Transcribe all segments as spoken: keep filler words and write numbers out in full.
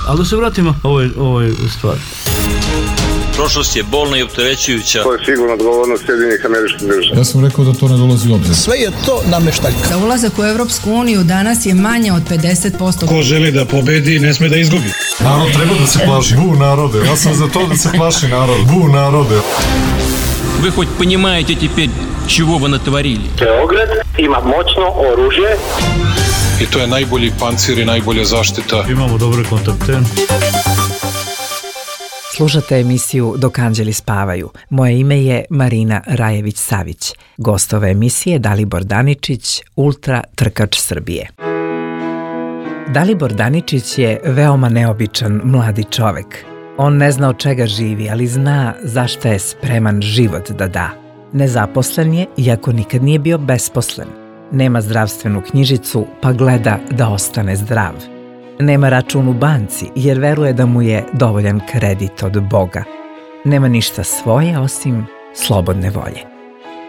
Ali da se vratimo ovoj, ovoj stvari. Prošlost je bolna i opterećujuća. To je sigurno odgovornost Sjedinjenih Američkih Država. Ja sam rekao da to ne dolazi u obzir. Sve je to nameštaljka. Za ulazak u Evropsku uniju danas je manje od pedeset posto. Ko želi da pobedi, ne sme da izgubi. Narod treba da se plaši. Bu narode. Ja sam za to da se plaši narod. Bu narode. Вы хоть понимаете теперь, чего вы натворили? Beograd ima moćno oružje. I to je najbolji pancir i najbolja zaštita. Imamo dobre kontakte. Slušate emisiju Dok anđeli spavaju. Moje ime je Marina Rajević-Savić. Gost ove emisije Dalibor Daničić, ultra trkač Srbije. Dalibor Daničić je veoma neobičan mladi čovek. On ne zna od čega živi, ali zna zašto je spreman život da da. Nezaposlen je, iako nikad nije bio besposlen. Nema zdravstvenu knjižicu, pa gleda da ostane zdrav. Nema račun u banci, jer veruje da mu je dovoljan kredit od Boga. Nema ništa svoje, osim slobodne volje.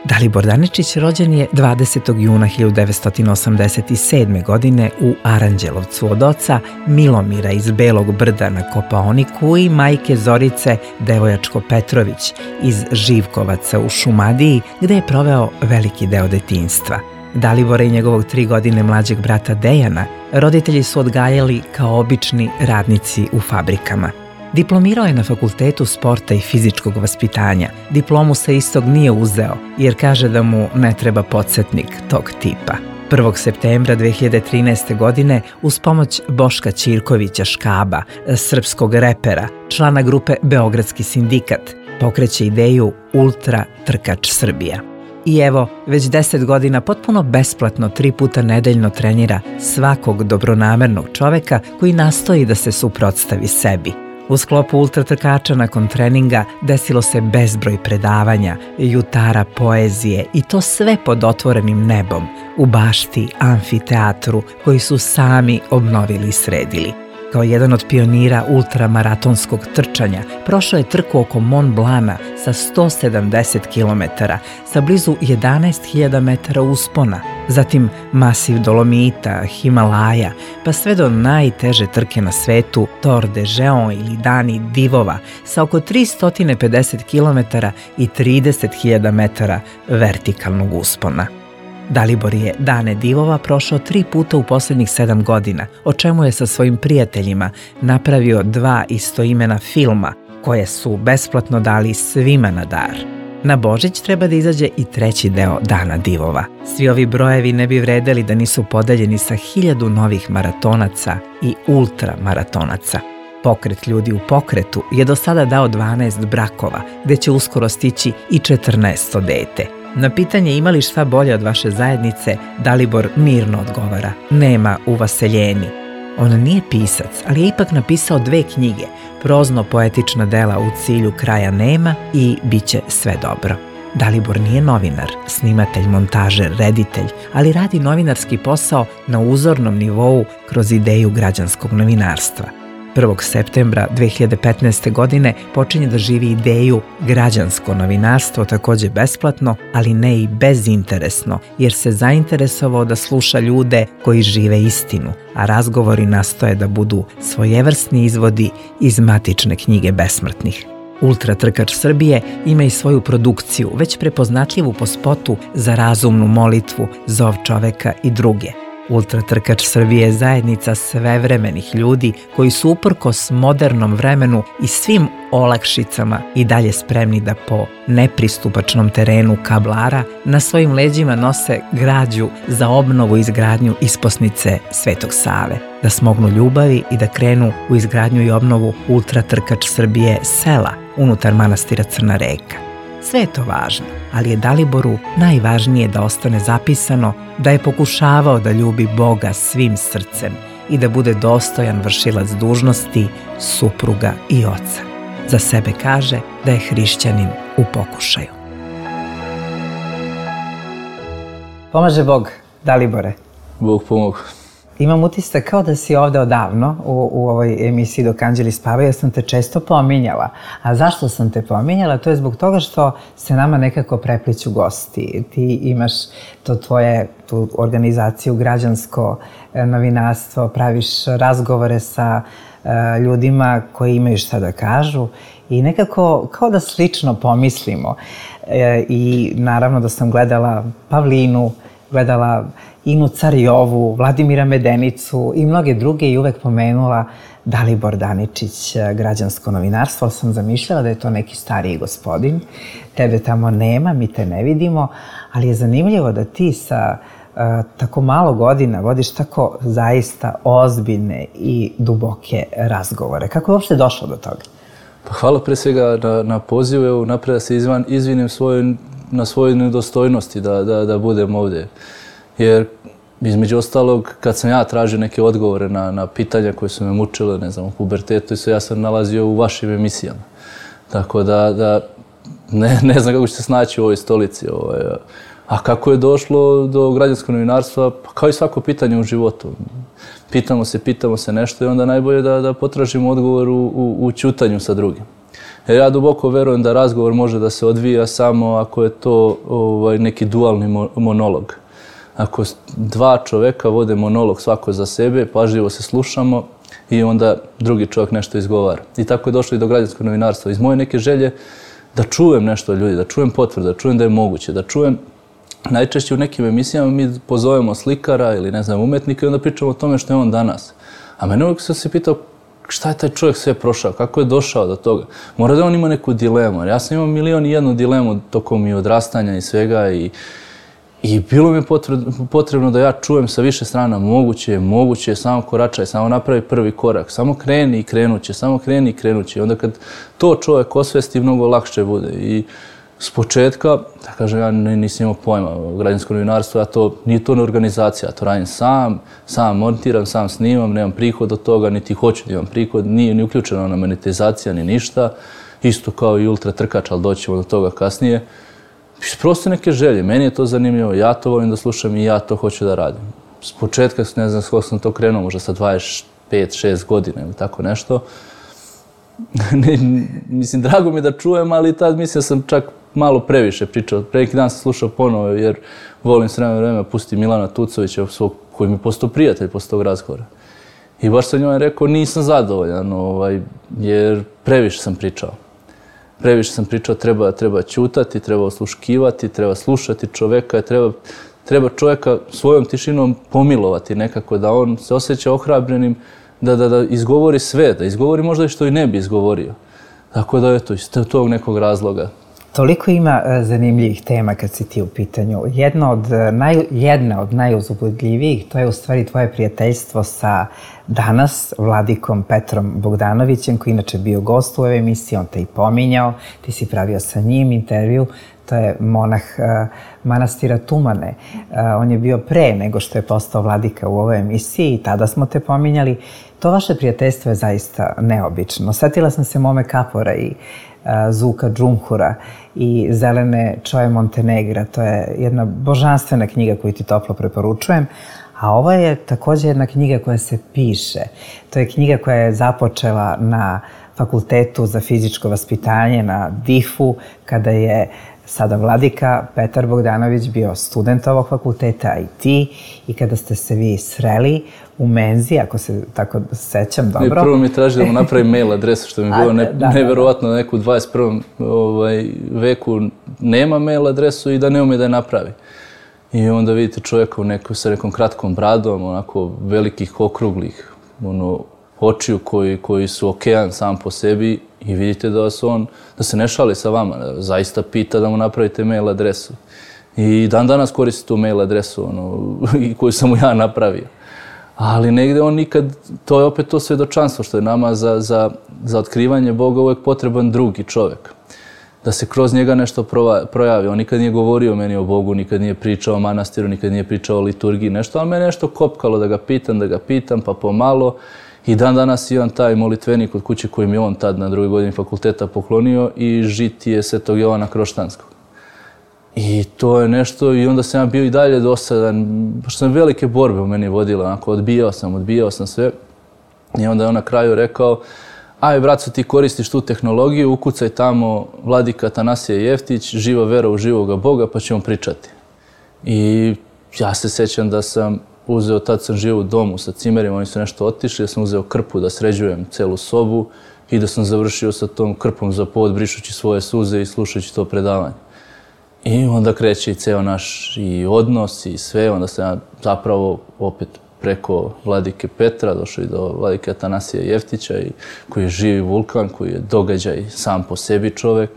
Dalibor Daničić rođen je dvadesetog juna hiljadu devetsto osamdeset sedme. godine u Aranđelovcu od oca Milomira iz Belog Brda na Kopaoniku i majke Zorice Devojačko-Petrović iz Živkovaca u Šumadiji, gde je proveo veliki deo detinjstva. Dalibora i njegovog tri godine mlađeg brata Dejana roditelji su odgajali kao obični radnici u fabrikama. Diplomirao je na Fakultetu sporta i fizičkog vaspitanja. Diplomu sa istog nije uzeo, jer kaže da mu ne treba podsjetnik tog tipa. prvog septembra dve hiljade trinaeste. godine uz pomoć Boška Ćirkovića Škaba, srpskog repera, člana grupe Beogradski sindikat, pokreće ideju Ultra trkač Srbija. I evo, već deset godina potpuno besplatno tri puta nedeljno trenira svakog dobronamernog čoveka koji nastoji da se suprotstavi sebi. U sklopu ultratrkača nakon treninga desilo se bezbroj predavanja, jutara poezije i to sve pod otvorenim nebom, u bašti, amfiteatru koji su sami obnovili i sredili. Kao jedan od pionira ultramaratonskog trčanja, prošao je trku oko Mont Blana sa sto sedamdeset kilometara, sa blizu jedanaest hiljada metara uspona, zatim masiv Dolomita, Himalaja, pa sve do najteže trke na svetu, Tor de Géant ili Dani divova, sa oko tristo pedeset kilometara i trideset hiljada metara vertikalnog uspona. Dalibor je Dane divova prošao tri puta u posljednjih sedam godina, o čemu je sa svojim prijateljima napravio dva istoimena filma, koje su besplatno dali svima na dar. Na Božić treba da izađe i treći deo Dana divova. Svi ovi brojevi ne bi vredeli da nisu podeljeni sa hiljadu novih maratonaca i ultramaratonaca. Pokret ljudi u pokretu je do sada dao dvanaest brakova, gde će uskoro stići i četrnaesto dete. Na pitanje ima li šta bolje od vaše zajednice, Dalibor mirno odgovara: nema u vaseljeni. On nije pisac, ali je ipak napisao dve knjige, prozno-poetična dela U cilju kraja nema i Biće sve dobro. Dalibor nije novinar, snimatelj, montažer, reditelj, ali radi novinarski posao na uzornom nivou kroz ideju građanskog novinarstva. prvog septembra dve hiljade petnaeste. godine počinje da živi ideju građansko novinarstvo, takođe besplatno, ali ne i bezinteresno, jer se zainteresovao da sluša ljude koji žive istinu, a razgovori nastoje da budu svojevrsni izvodi iz matične knjige besmrtnih. Ultra trkač Srbije ima i svoju produkciju, već prepoznatljivu po spotu Za razumnu molitvu, Zov čoveka i druge. Ultra trkač Srbije je zajednica svevremenih ljudi koji su uprkos modernom vremenu i svim olakšicama i dalje spremni da po nepristupačnom terenu Kablara na svojim leđima nose građu za obnovu i izgradnju isposnice Svetog Save, da smognu ljubavi i da krenu u izgradnju i obnovu Ultra trkač Srbije sela unutar manastira Crna Reka. Sve je to važno, ali je Daliboru najvažnije da ostane zapisano da je pokušavao da ljubi Boga svim srcem i da bude dostojan vršilac dužnosti, supruga i oca. Za sebe kaže da je hrišćanin u pokušaju. Pomaže Bog, Dalibore. Bog pomogu. Imam utisak kao da si ovde odavno u, u ovoj emisiji Dok anđeli spavaju, jer sam te često pominjala. A zašto sam te pominjala? To je zbog toga što se nama nekako prepliću gosti. Ti imaš to tvoje, tu organizaciju građansko novinarstvo, praviš razgovore sa uh, ljudima koji imaju šta da kažu i nekako kao da slično pomislimo. E, I naravno da sam gledala Pavlinu, gledala Inu Carijovu, Vladimira Medenicu i mnoge druge i uvek pomenula Dalibor Daničić, građansko novinarstvo, ali sam zamišljala da je to neki stariji gospodin. Tebe tamo nema, mi te ne vidimo, ali je zanimljivo da ti sa uh, tako malo godina vodiš tako zaista ozbiljne i duboke razgovore. Kako je uopšte došlo do toga? Pa hvala pre svega na, na pozivu, evo napred da se izvan, izvinim svoj, na svojoj nedostojnosti da, da, da budem ovdje. Jer između ostalog, kad sam ja tražio neke odgovore na, na pitanja koje su me mučile, ne znam, u pubertetu, ja sam nalazio u vašim emisijama. Tako da, da ne, ne znam kako ću se snaći u ovoj stolici. Ovaj. A kako je došlo do građanskog novinarstva? Pa kao i svako pitanje u životu. Pitamo se, pitamo se nešto i onda najbolje da, da potražimo odgovor u, u, u ćutanju sa drugim. Jer ja duboko verujem da razgovor može da se odvija samo ako je to ovaj, neki dualni monolog. Ako dva čoveka vode monolog svako za sebe, pažljivo se slušamo i onda drugi čovjek nešto izgovara. I tako je došlo i do građanskog novinarstva. Iz moje neke želje da čujem nešto od ljudi, da čujem potvrde, da čujem da je moguće, da čujem. Najčešće u nekim emisijama mi pozovemo slikara ili ne znam umetnika i onda pričamo o tome što je on danas. A mene uvijek sam se pitao šta je taj čovjek sve prošao, kako je došao do toga. Mora da on ima neku dilemu. Ja sam imao milion i jednu dilemu tokom i odrastanja i svega i I bilo mi je potrebno da ja čujem sa više strana moguće je, moguće je, samo koračaj, samo napravi prvi korak, samo kreni i krenuće, samo kreni i krenuće. Onda kad to čovjek osvesti, mnogo lakše bude. I s početka, da kažem, ja nisam imao pojma o građanskom novinarstvu, ja to, nije to organizacija, ja to radim sam, sam montiram, sam snimam, nemam prihod od toga, niti hoću da imam prihod, nije ni uključena ona monetizacija, ni ništa. Isto kao i ultra trkač, ali doćemo do toga kasnije. Prosto neke želje, meni je to zanimljivo, ja to volim da slušam i ja to hoću da radim. S početka, ne znam kako sam to krenuo, možda sa dvadeset pet šest godina ili tako nešto. ne, mislim, drago mi je da čujem, ali tad mislim sam čak malo previše pričao. Pre neki dan sam slušao ponovo jer volim s vremena vremena pusti Milana Tucovića, svog, koji mi je postao prijatelj posle tog razgovora. I baš sam njoj rekao nisam zadovoljan, ovaj, jer previše sam pričao. Previše sam pričao, treba, treba ćutati, treba osluškivati, treba slušati čoveka, treba, treba čoveka svojom tišinom pomilovati nekako, da on se osjeća ohrabrenim, da, da, da izgovori sve, da izgovori možda i što i ne bi izgovorio. Tako da, eto, iz tog nekog razloga. Toliko ima zanimljivih tema kad si ti u pitanju. Jedna od, naj, jedna od najuzbudljivijih, to je u stvari tvoje prijateljstvo sa danas vladikom Petrom Bogdanovićem, koji inače bio gost u ovoj emisiji, on te i pominjao, ti si pravio sa njim intervju. To je monah uh, manastira Tumane. Uh, on je bio pre nego što je postao vladika u ovoj emisiji i tada smo te pominjali. To vaše prijateljstvo je zaista neobično. Sjetila sam se Mome Kapora i uh, Zuka Džumhura i Zelene Čoje Montenegra. To je jedna božanstvena knjiga koju ti toplo preporučujem. A ovo je također jedna knjiga koja se piše. To je knjiga koja je započela na Fakultetu za fizičko vaspitanje, na D I F-u, kada je sada vladika Petar Bogdanović bio student ovog fakulteta, a i ti, i kada ste se vi sreli u menzi, ako se tako sećam dobro. I prvo mi traži da mu napravim mail adresu, što mi je bilo ne, da, neverovatno da neku dvadeset prvom ovaj, veku nema mail adresu i da ne ume da je napravi. I onda vidite čovjeka u neku, sa nekom kratkom bradom, onako velikih okruglih ono, očiju koji, koji su okean sam po sebi i vidite da, su on, da se ne šali sa vama, da zaista pita da mu napravite mail adresu. I dan danas koristi tu mail adresu ono, koju sam mu ja napravio. Ali negde on nikad, to je opet to svjedočanstvo što je nama za, za, za otkrivanje Boga uvijek potreban drugi čovjek. Da se kroz njega nešto projavi. On nikad nije govorio meni o Bogu, nikad nije pričao o manastiru, nikad nije pričao o liturgiji, nešto, ali me nešto kopkalo da ga pitam, da ga pitam, pa pomalo. I dan danas imam taj molitvenik od kuće koji mi je on tad na drugoj godini fakulteta poklonio i žitije Svetog Jovana Kroštanskog. I to je nešto, i onda sam ja bio i dalje dosadan, pošto sam velike borbe u meni vodila, onako odbijao sam, odbijao sam sve. I onda je on na kraju rekao, aj braco, ti koristiš tu tehnologiju, ukucaj tamo Vladika Atanasije Jeftić, živa vera u živoga Boga, pa ćemo pričati. I ja se sjećam da sam uzeo, tad sam živio u domu sa cimerima, oni su nešto otišli, da sam uzeo krpu da sređujem celu sobu i da sam završio sa tom krpom za pod, brišući svoje suze i slušajući to predavanje. I onda kreće i ceo naš i odnos i sve, onda sam ja zapravo opet preko Vladike Petra došao i do Vladike Atanasija Jeftića, i koji je živi vulkan, koji je događaj sam po sebi čovek.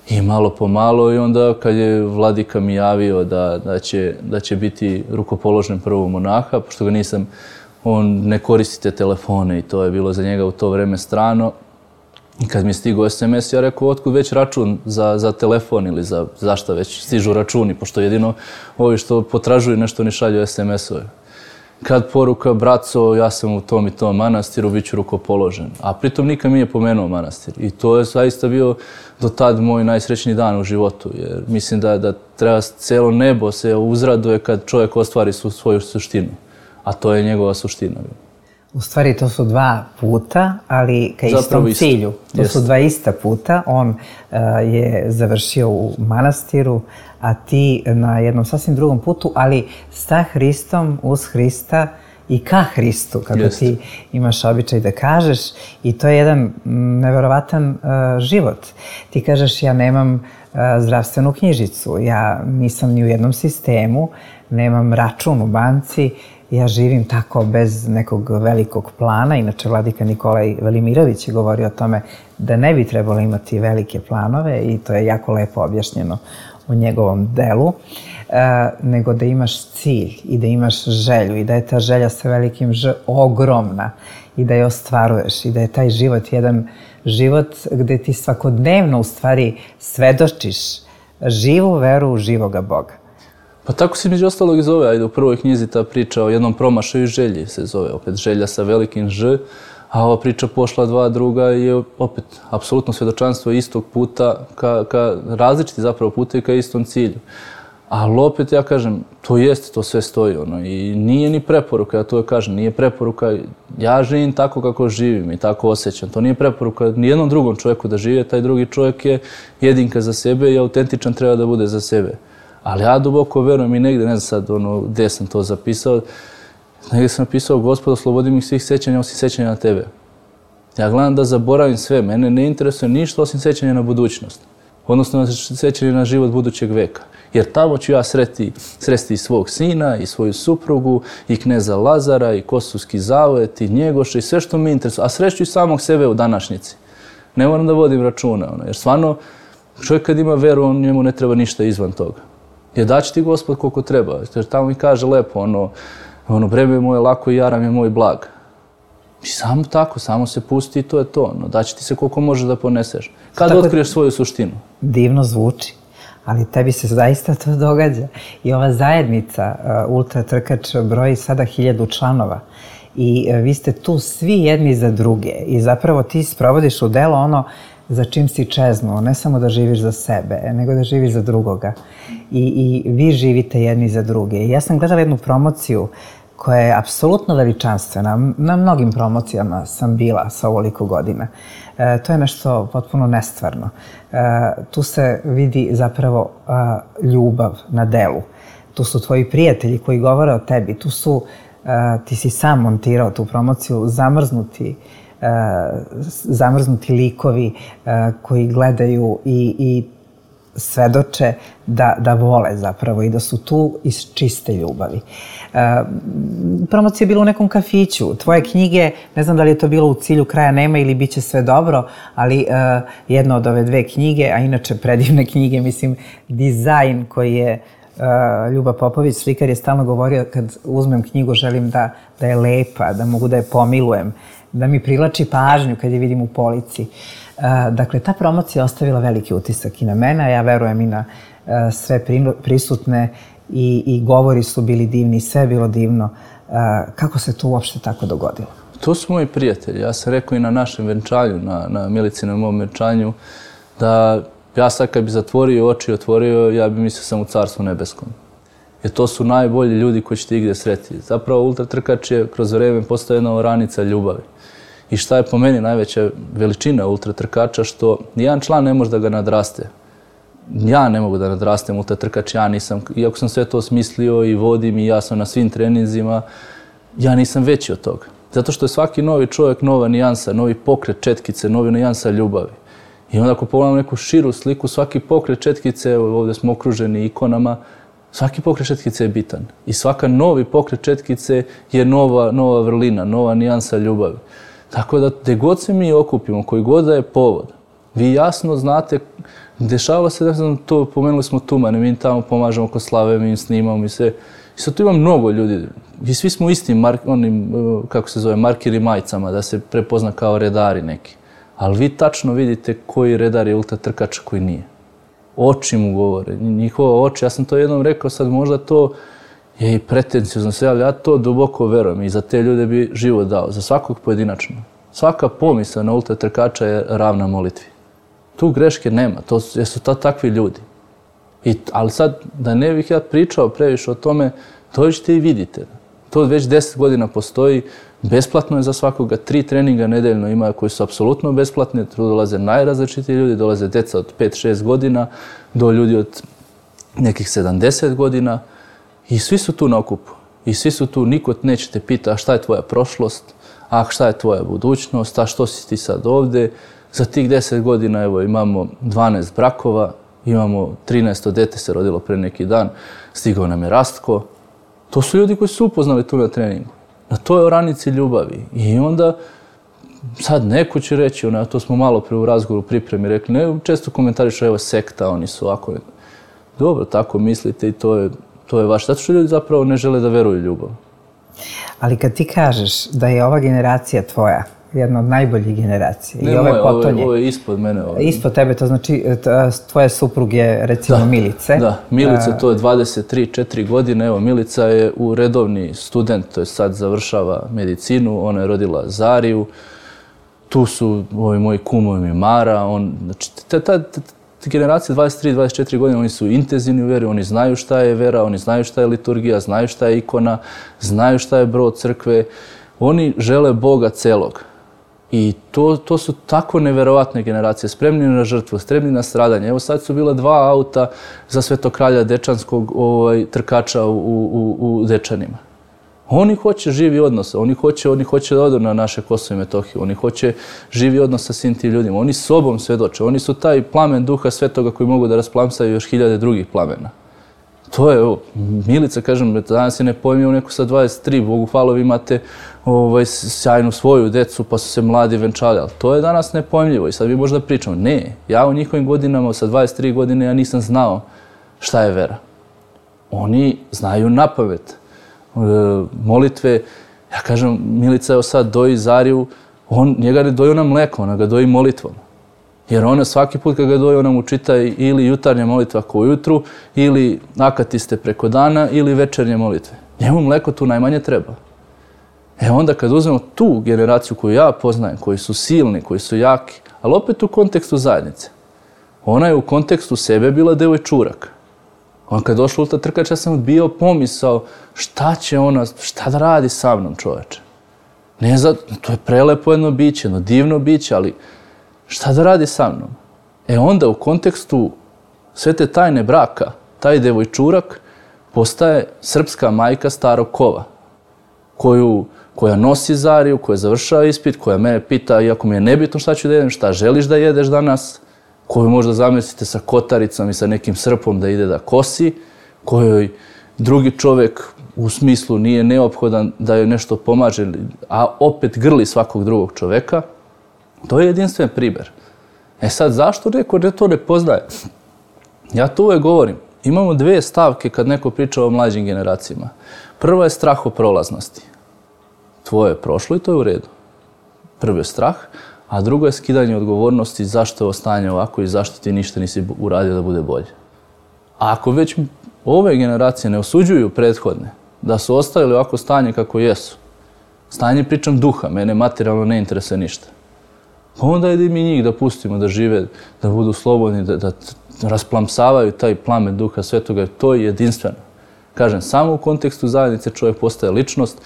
I malo po malo, i onda kad je Vladika mi javio da, da, će, da će biti rukopoložen prvog monaha, pošto ga nisam, on ne koristi te telefone i to je bilo za njega u to vreme strano. I kad mi je stigao es em es, ja rekao, otkud već račun za, za telefon ili za zašta već stižu računi, pošto jedino ovi što potražuju nešto ni šalju es em es-ove. Kad poruka, braco, ja sam u tom i tom manastiru, bit ću rukopoložen. A pritom nikad mi nije pomenuo manastir. I to je zaista bio do tad moj najsrećniji dan u životu. Jer mislim da, da treba celo nebo se uzraduje kad čovjek ostvari su, svoju suštinu. A to je njegova suština. U stvari to su dva puta, ali ka istom isto. Cilju. To Jest. Su dva ista puta. On uh, je završio u manastiru, a ti na jednom sasvim drugom putu, ali sa Hristom, uz Hrista i ka Hristu, kako Jest. Ti imaš običaj da kažeš. I to je jedan neverovatan uh, život. Ti kažeš, ja nemam uh, zdravstvenu knjižicu, ja nisam ni u jednom sistemu, nemam račun u banci, ja živim tako bez nekog velikog plana. Inače, vladika Nikolaj Velimirović je govorio o tome da ne bi trebalo imati velike planove, i to je jako lepo objašnjeno u njegovom delu, e, nego da imaš cilj i da imaš želju i da je ta želja sa velikim ž ogromna i da je ostvaruješ i da je taj život jedan život gde ti svakodnevno u stvari svedočiš živu veru u živoga Boga. Pa tako se među ostalog i zove, ajde u prvoj knjizi ta priča o jednom promašaju želji se zove, opet želja sa velikim ž, a ova priča Pošla dva druga je opet apsolutno svedočanstvo istog puta, ka, ka različiti zapravo puta i ka istom cilju. Ali opet ja kažem, to jeste, to sve stoji, ono, i nije ni preporuka, ja to je kažem, nije preporuka, ja živim tako kako živim i tako osjećam, to nije preporuka nijednom drugom čovjeku da žive, taj drugi čovjek je jedinka za sebe i autentičan treba da bude za sebe. Ali ja duboko verujem i negde, ne znam sad ono, gde sam to zapisao, negde sam napisao, Gospod, oslobodi mi svih sećanja osim sećanja na tebe. Ja gledam da zaboravim sve, mene ne interesuje ništa osim sećanja na budućnost. Odnosno sećanje na život budućeg veka. Jer tamo ću ja sreti, sresti i svog sina, i svoju suprugu, i kneza Lazara, i Kosovski zavet, i Njegoša, i sve što me interesuje. A sreću i samog sebe u današnjici. Ne moram da vodim računa, ono, jer stvarno, čovjek kad ima veru, on njemu ne treba ništa izvan toga. Jer daći ti Gospod koliko treba. Jer tamo mi kaže lepo, ono, ono breme je moje lako i jaram je moj blag. I samo tako, samo se pusti i to je to. Ono, daći ti se koliko možeš da poneseš. Kad otkriješ svoju suštinu? Divno zvuči, ali tebi se zaista to događa. I ova zajednica uh, Ultra Trkač broji sada hiljadu članova. I uh, vi ste tu svi jedni za druge. I zapravo ti sprovodiš u delo ono za čim si čeznuo, ne samo da živiš za sebe, nego da živiš za drugoga. I, i vi živite jedni za druge. I ja sam gledala jednu promociju koja je apsolutno veličanstvena. Na mnogim promocijama sam bila sa ovoliko godina. E, to je nešto potpuno nestvarno. E, tu se vidi zapravo a, ljubav na delu. Tu su tvoji prijatelji koji govore o tebi. Tu su, a, ti si sam montirao tu promociju, zamrznuti Uh, zamrznuti likovi uh, koji gledaju i, i svedoče da, da vole zapravo i da su tu iz čiste ljubavi. Uh, promocija je bila u nekom kafiću. Tvoje knjige, ne znam da li je to bilo u cilju kraja nema ili bit će sve dobro, ali uh, jedna od ove dve knjige, a inače predivne knjige, mislim, dizajn koji je Uh, Ljuba Popović, slikar, je stalno govorio kad uzmem knjigu želim da, da je lepa, da mogu da je pomilujem, da mi privlači pažnju kad je vidim u polici. Uh, dakle, ta promocija je ostavila veliki utisak i na mene, a ja verujem i na uh, sve prisutne i, i govori su bili divni, sve je bilo divno. Uh, kako se to uopšte tako dogodilo? To su moji prijatelji. Ja sam rekao i na našem venčanju, na, na Milicinem mom venčanju, da Ja sad kad bi zatvorio oči i otvorio, ja bi mislio sam u Carstvu nebeskom. Jer to su najbolji ljudi koji ćete igdje sretiti. Zapravo ultratrkač je kroz vrijeme postao jedna oranica ljubavi. I šta je po meni najveća veličina ultratrkača, što nijedan član ne može da ga nadraste. Ja ne mogu da nadrastem ultratrkač, ja nisam, iako sam sve to smislio i vodim i ja sam na svim treninzima, ja nisam veći od toga. Zato što je svaki novi čovjek nova nijansa, novi pokret četkice, novi nijansa ljubavi. I onda ako pogledamo neku širu sliku, svaki pokret četkice, ovdje smo okruženi ikonama, svaki pokret četkice je bitan. I svaka novi pokret četkice je nova, nova vrlina, nova nijansa ljubavi. Tako da gdje god se mi okupimo, koji god da je povod, vi jasno znate, dešava se, ne znam, to, pomenuli smo Tumane, mi tamo pomažemo kod slave, mi im snimamo i sve. I sad tu ima mnogo ljudi. I svi smo istim, mark, onim, kako se zove, markeri majicama, da se prepozna kao redari neki. Ali vi tačno vidite koji redar je ultratrkač, koji nije. Oči mu govore, njihova oči. Ja sam to jednom rekao, sad možda to je i pretencijozno sve, ali ja to duboko verujem i za te ljude bi život dao, za svakog pojedinačno. Svaka pomisao na ultratrkača je ravna molitvi. Tu greške nema, to su to takvi ljudi. I, ali sad, da ne bih ja pričao previše o tome, dođite i vidite. To već deset godina postoji, besplatno je za svakoga, tri treninga nedeljno ima koji su apsolutno besplatni, tu dolaze najrazličitiji ljudi, dolaze deca od pet šest godina do ljudi od nekih sedamdeset godina i svi su tu na okupu. I svi su tu, niko neće te pita šta je tvoja prošlost, a šta je tvoja budućnost, a što si ti sad ovdje. Za tih deset godina evo, imamo dvanaest brakova, imamo trinaesto dete se rodilo pre neki dan, stigao nam je Rastko. To su ljudi koji su upoznali tu na treningu. Na toj oranici ljubavi. I onda sad neko će reći, ona, to smo malo pre u razgovoru pripremi rekli, ne, često komentarišu, evo sekta, oni su ovako. Dobro, tako mislite i to je, to je vaše. Zato što ljudi zapravo ne žele da veruju ljubav. Ali kad ti kažeš da je ova generacija tvoja, jedna od najboljih generacija, ne, i ove moje, potonje. Ovo je ispod mene. Ovo. Ispod tebe, to znači tvoje supruge, recimo da, Milice. Da, Milica, to je dvadeset tri četiri godine. Evo, Milica je u redovni student, to je sad završava medicinu, ona je rodila Zariju. Tu su ovi moji kumovi Mara. On, znači, ta, ta, ta, ta generacija dvadeset tri dvadeset četiri godine, oni su intenzivni u veri, oni znaju šta je vera, oni znaju šta je liturgija, znaju šta je ikona, znaju šta je brod crkve. Oni žele Boga celog. I to, to su tako neverovatne generacije, spremni na žrtvu, spremni na stradanje. Evo sad su bila dva auta za Svetokralja Dečanskog ovaj, trkača u, u, u Dečanima. Oni hoće živi odnos, oni hoće, oni hoće da odu na naše Kosovo i Metohiju, oni hoće živi odnos sa svim tim ljudima, oni sobom svedoče, oni su taj plamen Duha Svetoga koji mogu da rasplamsaju još hiljade drugih plamena. To je, evo, Milica, kažem, danas je nepojmio neko sa dvadeset tri, Bogu hvala, vi imate ovaj, sjajnu svoju decu, pa su se mladi venčali, ali to je danas nepojmljivo i sad vi možda pričamo, ne, ja u njihovim godinama, sa dvadeset tri godine, ja nisam znao šta je vera. Oni znaju napamet. E, molitve, ja kažem, Milica evo sad doji Zariju, on, njega ne doji ona mleko, ona ga doji molitvom. Jer ona svaki put kad ga doji, ona mu čita ili jutarnja molitva ko ujutru, ili akatiste preko dana, ili večernje molitve. Njemu mleko tu najmanje treba. E onda kad uzmemo tu generaciju koju ja poznajem, koji su silni, koji su jaki, ali opet u kontekstu zajednice. Ona je u kontekstu sebe bila devojčurak. On kad došla ultratrkač, ja sam bio pomisao šta će ona, šta da radi sa mnom, čoveče. Ne za, to je prelepo jedno biće, jedno divno biće, ali šta da radi sa mnom? E onda u kontekstu sve te tajne braka, taj devojčurak postaje srpska majka starog kova, koju, koja nosi Zariju, koja završava ispit, koja mene pita, iako mi je nebitno šta ću da jedem, šta želiš da jedeš danas, koju možda zamislite sa kotaricom i sa nekim srpom da ide da kosi, kojoj drugi čovjek u smislu nije neophodan da joj nešto pomaže, a opet grli svakog drugog čovjeka. To je jedinstven primjer. E sad, zašto neko ne to ne poznaje? Ja to uvek govorim. Imamo dve stavke kad neko priča o mlađim generacijama. Prva je strah o prolaznosti. Tvoje je prošlo i to je u redu. Prvo je strah, a drugo je skidanje odgovornosti zašto je ovo stanje ovako i zašto ti ništa nisi uradio da bude bolje. A ako već ove generacije ne osuđuju prethodne, da su ostavili ovako stanje kako jesu, stanje pričam duha, mene materijalno ne interesuje ništa. Pa onda ide mi njih da pustimo, da žive, da budu slobodni, da, da rasplamsavaju taj plamen Duha Svetoga. To je jedinstveno. Kažem, samo u kontekstu zajednice čovjek postaje ličnost,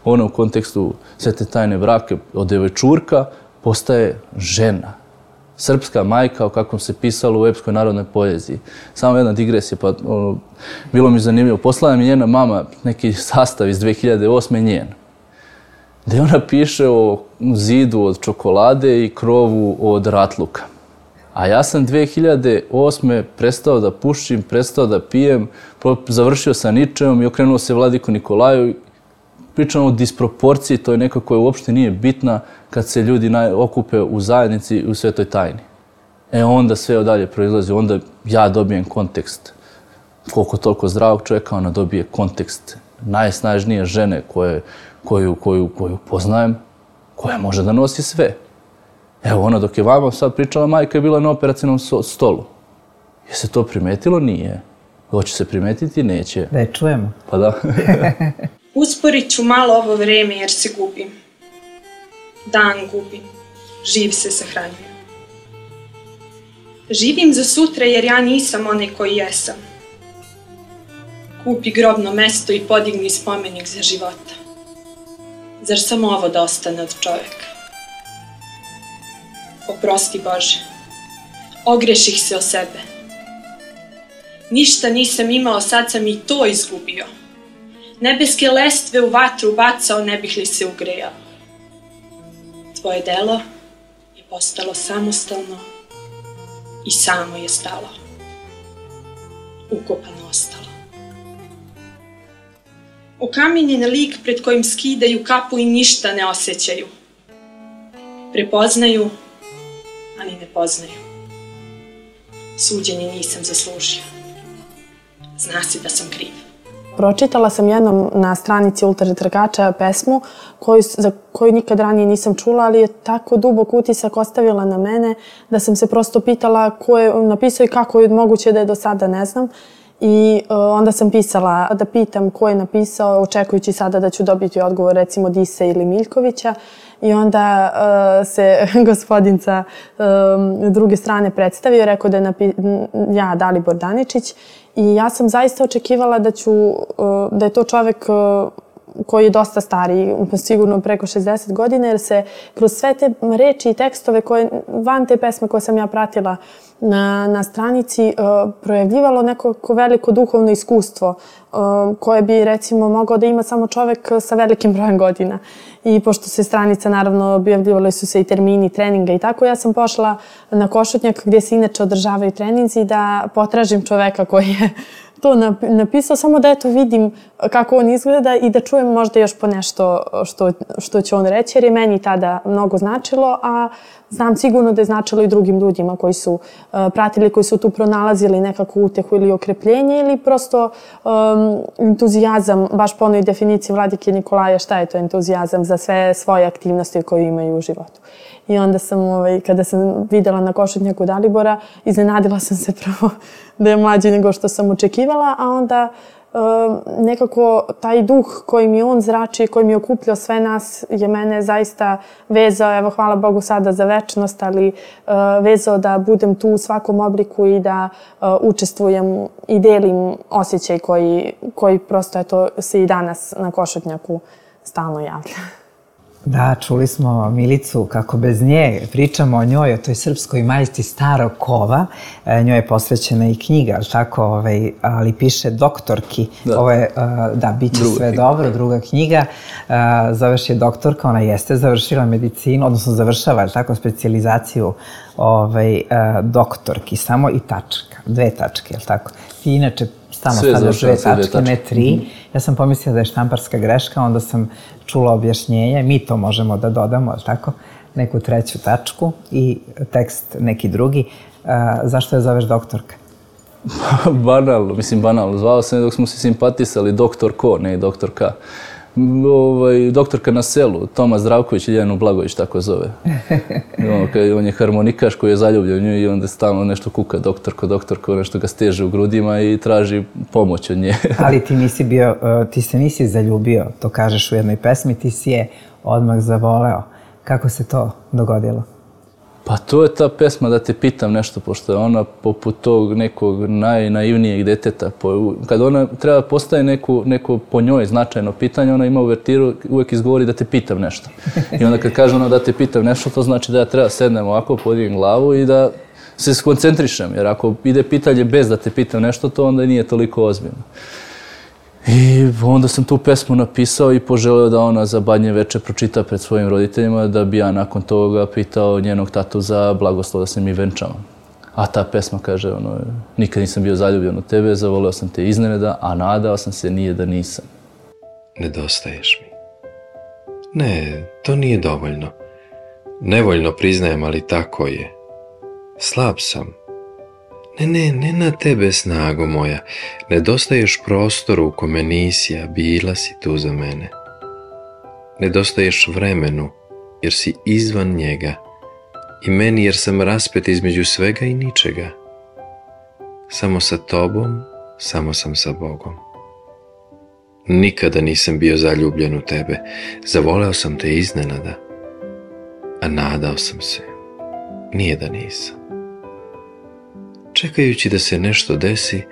ono u kontekstu svete tajne brake od devojčurka postaje žena. Srpska majka, o kakvom se pisalo u epskoj narodnoj poeziji. Samo jedna digresija, pa ono, bilo mi zanimljivo. Poslala mi njena mama neki sastav iz dve hiljade osme njen, gdje ona piše o zidu od čokolade i krovu od ratluka. A ja sam dve hiljade osme prestao da pušim, prestao da pijem, završio sa Ničeom i okrenuo se Vladiku Nikolaju. Pričamo o disproporciji, to je neka koja uopšte nije bitna kad se ljudi okupe u zajednici u svetoj tajni. E onda sve dalje proizlazi, onda ja dobijem kontekst. Koliko toliko zdravog čovjeka, ona dobije kontekst najsnažnije žene koje, koju, koju, koju poznajem, koja može da nosi sve. Evo ona dok je vama sad pričala, majka je bila na operacijnom stolu. Je se to primetilo? Nije. Hoće se primetiti? Neće. Da je čujemo. Pa da. Usporit ću malo ovo vreme jer se gubim. Dan gubim. Živ se sahranjujem. Živim za sutra jer ja nisam onaj koji jesam. Kupi grobno mesto i podigni spomenik za života. Zar samo ovo da ostane od čoveka? Oprosti Bože. Ogreših se o sebe. Ništa nisam imao, sad sam i to izgubio. Nebeske lestve u vatru bacao, ne bih li se ugrejao. Tvoje delo je postalo samostalno i samo je stalo. Ukopano ostalo. Okamenjen lik pred kojim skidaju kapu i ništa ne osjećaju. Prepoznaju, ali ne poznaju. Suđenje nisam zaslužio. Zna se da sam kriv. Pročitala sam jednom na stranici Ultratrkača pesmu koju, za koju nikad ranije nisam čula, ali je tako dubok utisak ostavila na mene da sam se prosto pitala ko je napisao i kako je moguće da je do sada ne znam. I uh, onda sam pisala da pitam ko je napisao, očekujući sada da ću dobiti odgovor recimo Dise ili Miljkovića. I onda uh, se gospodin sa um, druge strane predstavio, rekao da je napi ja Dalibor Daničić. I ja sam zaista očekivala da, ću, uh, da je to čovek uh, koji je dosta stariji, sigurno preko šezdeset godina, jer se kroz sve te reči i tekstove koje, van te pesme koje sam ja pratila na, na stranici, uh, projavljivalo neko veliko duhovno iskustvo uh, koje bi recimo mogao da ima samo čovek sa velikim brojem godina. I pošto se stranica, naravno, objavljivali su se i termini treninga i tako, ja sam pošla na Košutnjak gdje se inače održavaju treninzi da potražim čoveka koji je to napisao, samo da eto vidim kako on izgleda i da čujem možda još po nešto što, što će on reći, jer je meni tada mnogo značilo, a znam sigurno da je značilo i drugim ljudima koji su uh, pratili, koji su tu pronalazili nekakvu utehu ili okrepljenje ili prosto um, entuzijazam, baš po onoj definiciji Vladike Nikolaja, šta je to entuzijazam za sve svoje aktivnosti koje imaju u životu. I onda sam, ovaj, kada sam videla na Košutnjaku Dalibora, iznenadila sam se prvo da je mlađi nego što sam očekivala, a onda uh, nekako taj duh koji mi on zrači, koji mi je okupljao sve nas, je mene zaista vezao, evo hvala Bogu sada za večnost, ali uh, vezao da budem tu u svakom obliku i da uh, učestvujem i delim osjećaj koji, koji prosto eto, se i danas na Košutnjaku stalno javlja. Da, čuli smo Milicu kako bez nje pričamo o njoj, o toj srpskoj majci starog kova. E, njoj je posvećena i knjiga, ali tako, ovaj, ali piše doktorki. Da. Ovo je, da, bit će sve knjiga. Dobro, druga knjiga. Zoveš je doktorka, ona jeste završila medicinu, odnosno završava, ali tako, specijalizaciju ovaj, doktorki, samo i tačka, dve tačke, ali tako. Ti inače stalno stavljaš dve tačke, ne tri. Mm-hmm. Ja sam pomislila da je štamparska greška, onda sam čula objašnjenje, mi to možemo da dodamo, ali tako, neku treću tačku i tekst neki drugi. A, zašto je zoveš doktorka? Banalno, mislim banalno. Zvao sam je dok smo se simpatisali doktor ko, ne doktor K. Ovaj, doktorka na selu, Toma Zdravković i Ljenu Blagović tako zove. On, on je harmonikaš koji je zaljubljen u nju i onda stalno nešto kuka doktorko, doktorko, nešto ga steže u grudima i traži pomoć od nje. Ali ti nisi bio, ti se nisi zaljubio, to kažeš u jednoj pesmi, ti si je odmah zavoleo. Kako se to dogodilo? Pa to je ta pesma Da te pitam nešto, pošto je ona poput tog nekog najnaivnijeg deteta. Kad ona treba postaje neko, neko po njoj značajno pitanje, ona ima uvertiru, uvek izgovori da te pitam nešto. I onda kad kaže ona da te pitam nešto, to znači da ja treba sednem ovako, podignem glavu i da se skoncentrišem. Jer ako ide pitanje bez da te pitam nešto, to onda nije toliko ozbiljno. I onda sam tu pesmu napisao i poželeo da ona za Badnje veče pročita pred svojim roditeljima, da bi ja nakon toga pitao njenog tatu za blagoslov da se mi venčamo. A ta pesma kaže, ono, nikad nisam bio zaljubljen u tebe, zavoleo sam te iznenada, a nadao sam se nije da nisam. Nedostaješ mi. Ne, to nije dovoljno. Nevoljno priznajem, ali tako je. Slab sam. Ne, ne, ne na tebe, snago moja. Nedostaješ prostoru u kome nisi, a bila si tu za mene. Nedostaješ vremenu, jer si izvan njega. I meni, jer sam raspet između svega i ničega. Samo sa tobom, samo sam sa Bogom. Nikada nisam bio zaljubljen u tebe. Zavoleo sam te iznenada. A nadao sam se. Nije da nisam. Čekajući da se nešto desi,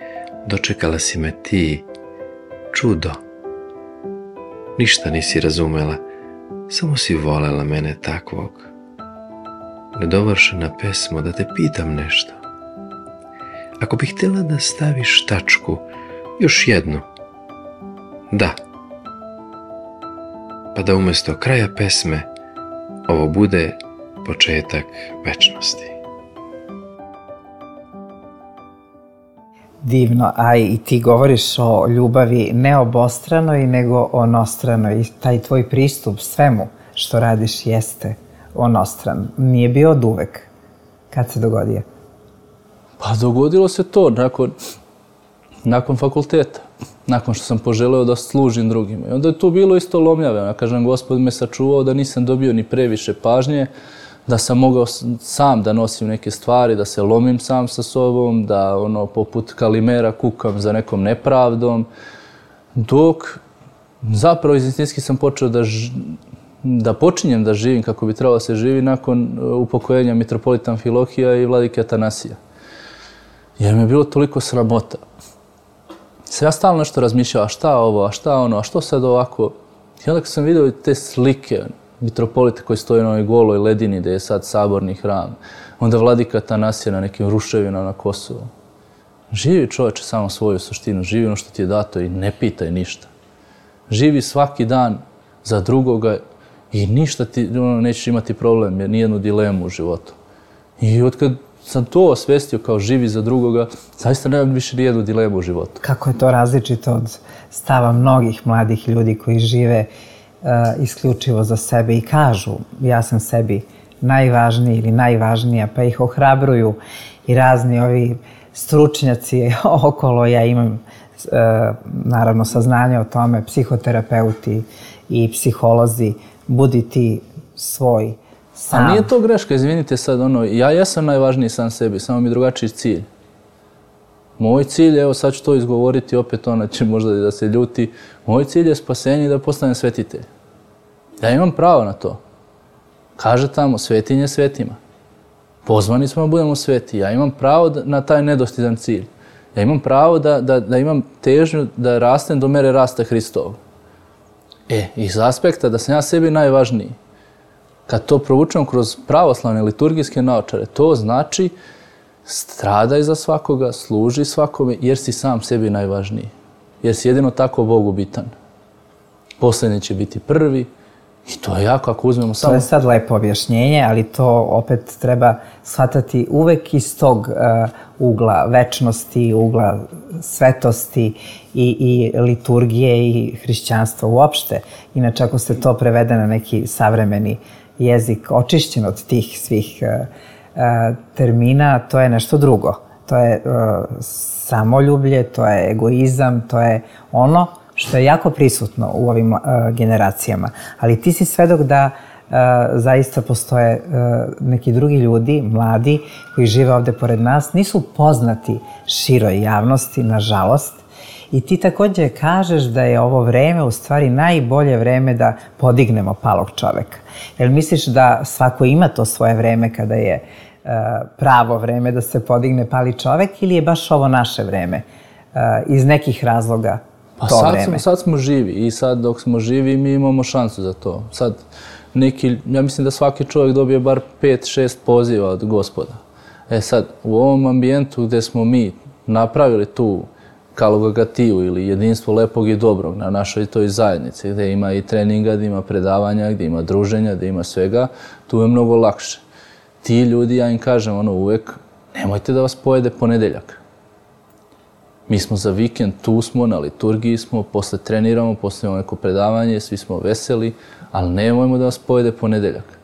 dočekala si me ti. Čudo. Ništa nisi razumela, samo si volela mene takvog. Nedovršena pesmo, da te pitam nešto. Ako bih htjela da staviš tačku, još jednu. Da. Pa da umjesto kraja pesme, ovo bude početak večnosti. Divno, a i ti govoriš o ljubavi ne obostranoj, nego onostranoj. I taj tvoj pristup svemu što radiš jeste onostran. Nije bio od uvek. Kad se dogodio? Pa dogodilo se to nakon, nakon fakulteta. Nakon što sam poželeo da služim drugima. I onda je to bilo isto lomljave. Ja kažem, Gospod me sačuvao da nisam dobio ni previše pažnje, da sam mogao sam da nosim neke stvari, da se lomim sam sa sobom, da ono poput Kalimera kukam za nekom nepravdom, dok zapravo istinski sam počeo da, ž... da počinjem da živim kako bi trebalo da se živi nakon upokojenja mitropolita Amfilohija i vladike Atanasija. Jer mi je bilo toliko sramota. Se ja stalno nešto razmišljao, a šta ovo, a šta ono, a što sad ovako? I onda kad sam vidio te slike, mitropolite koji stoje na ovoj goloj ledini gde je sad saborni hram, onda vladika Atanasija na nekim ruševinama na Kosovu. Živi čoveče samo svoju suštinu, živi ono što ti je dato i ne pitaj ništa. Živi svaki dan za drugoga i ništa ti, ono, nećeš imati problem, jer nijednu dilemu u životu. I otkad sam to osvestio kao živi za drugoga, zaista nemam više nijednu dilemu u životu. Kako je to različito od stava mnogih mladih ljudi koji žive uh, isključivo za sebe i kažu ja sam sebi najvažniji ili najvažnija, pa ih ohrabruju i razni ovi stručnjaci okolo. Ja imam uh, naravno saznanje o tome, psihoterapeuti i psiholozi, budi ti svoj sam. A nije to greška, izvinite sad, ono, ja jesam najvažniji sam sebi, samo mi drugačiji cilj. Moj cilj, evo sad ću to izgovoriti, opet ona će možda da se ljuti, moj cilj je spasenje i da postanem svetitelj. Ja imam pravo na to. Kaže tamo, svetinje svetima. Pozvani smo da budemo sveti. Ja imam pravo na taj nedostižan cilj. Ja imam pravo da, da, da imam težnju da rastem do mere rasta Hristovog. E, iz aspekta da sam ja sebi najvažniji, kad to provučem kroz pravoslavne liturgijske naočare, to znači stradaj za svakoga, služi svakome, jer si sam sebi najvažniji. Jer si jedino tako Bogu bitan. Posljednji će biti prvi i to je jako ako uzmemo samo... To je sad lepo objašnjenje, ali to opet treba shvatati uvek iz tog uh, ugla večnosti, ugla svetosti i, i liturgije i hrišćanstva uopšte. Inače, ako se to prevede na neki savremeni jezik očišćen od tih svih uh, uh, termina, to je nešto drugo. To je uh, samoljublje, to je egoizam, to je ono što je jako prisutno u ovim uh, generacijama. Ali ti si svedok da uh, zaista postoje uh, neki drugi ljudi, mladi, koji žive ovde pored nas, nisu poznati široj javnosti, nažalost, I ti također kažeš da je ovo vreme u stvari najbolje vreme da podignemo palog čoveka. Jel misliš da svako ima to svoje vreme kada je uh, pravo vreme da se podigne pali čovek ili je baš ovo naše vreme uh, iz nekih razloga pa to sad vreme? Smo, sad smo živi i sad dok smo živi mi imamo šansu za to. Sad neki, ja mislim da svaki čovjek dobije bar pet, šest poziva od Gospoda. E sad, u ovom ambijentu gdje smo mi napravili tu Kalogatiju ili jedinstvo lepog i dobrog na našoj toj zajednici, gdje ima i treninga, gdje ima predavanja, gdje ima druženja, gdje ima svega, tu je mnogo lakše. Ti ljudi, ja im kažem ono uvek, nemojte da vas pojede ponedeljak. Mi smo za vikend, tu smo, na liturgiji smo, posle treniramo, posle imamo neko predavanje, svi smo veseli, ali nemojmo da vas pojede ponedeljak.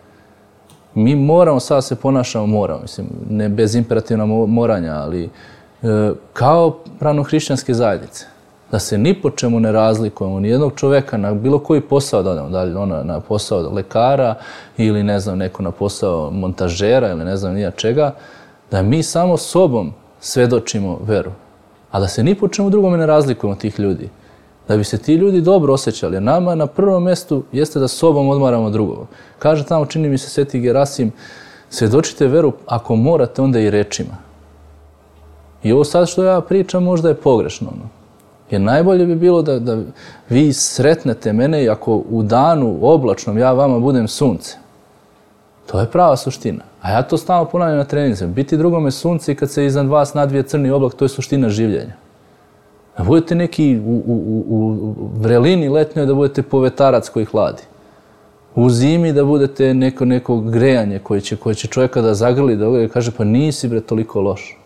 Mi moramo, sad se ponašamo, moramo, mislim, ne bez imperativna moranja, ali e, kao pravno-hrišćanske zajednice, da se ni po čemu ne razlikujemo, ni jednog čoveka na bilo koji posao da odemo, da li ona na posao lekara ili ne znam, neko na posao montažera ili ne znam nija čega, da mi samo sobom svedočimo veru, a da se ni po čemu drugome ne razlikujemo tih ljudi. Da bi se ti ljudi dobro osjećali. Nama na prvom mjestu jeste da sobom odmaramo drugog. Kaže tamo, čini mi se Sveti Gerasim, svedočite veru ako morate onda i rečima. I ovo sad što ja pričam možda je pogrešno. No. Jer najbolje bi bilo da, da vi sretnete mene i ako u danu oblačnom ja vama budem sunce. To je prava suština. A ja to stalno ponavljam na treningu. Biti drugome sunce i kad se iznad vas nadvije crni oblak, to je suština življenja. Da budete neki u, u, u, u vrelini letnjoj, da budete povetarac koji hladi. U zimi da budete neko, neko grejanje koje će, koje će čovjeka da zagrli, da kaže pa nisi bre toliko loš.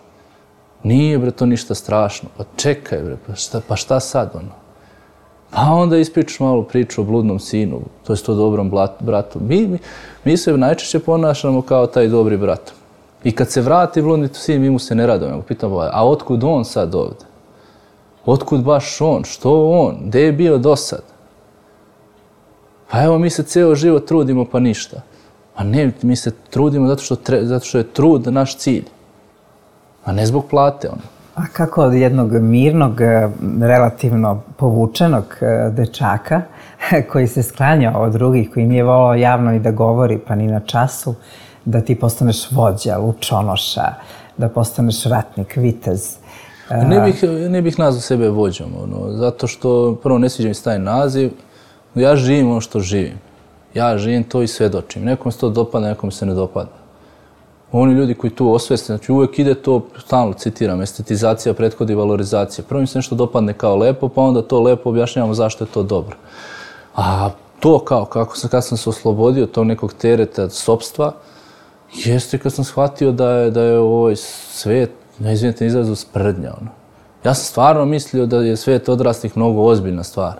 Nije bre to ništa strašno. Pa čekaj bre, pa šta, pa šta sad ono? Pa onda ispričaš malo priču o bludnom sinu, to je to dobrom bratu. Mi, mi, mi se najčešće ponašamo kao taj dobri brat. I kad se vrati bludni sin, mi mu se ne radimo. Pitamo, a otkud on sad ovdje? Otkud baš on? Što on? Gdje je bio do sad? Pa evo mi se ceo život trudimo pa ništa. A ne, mi se trudimo zato što, tre, zato što je trud naš cilj. A ne zbog plate ono. A kako od jednog mirnog, relativno povučenog dečaka koji se sklanjao od drugih, koji nije volao javno i da govori pa ni na času, da ti postaneš vođa, lučonoša, da postaneš ratnik, vitez? Ne bih, ne bih nazvao sebe vođom, ono, zato što prvo ne sviđa mi se taj naziv. Ja živim ono što živim. Ja živim to i svedočim. Nekom se to dopada, nekom se ne dopada. Oni ljudi koji tu osveste, znači uvijek ide to, stalno citiram, estetizacija prethodi valorizacija. Prvo im se nešto dopadne kao lepo, pa onda to lepo objašnjavamo zašto je to dobro. A to kao, kako sam, kad sam se oslobodio tog nekog tereta sopstva, jeste kad sam shvatio da je, da je ovaj svet, ne izvinite izrazu, sprdnja. Ono. Ja sam stvarno mislio da je svet odraslih mnogo ozbiljna stvar.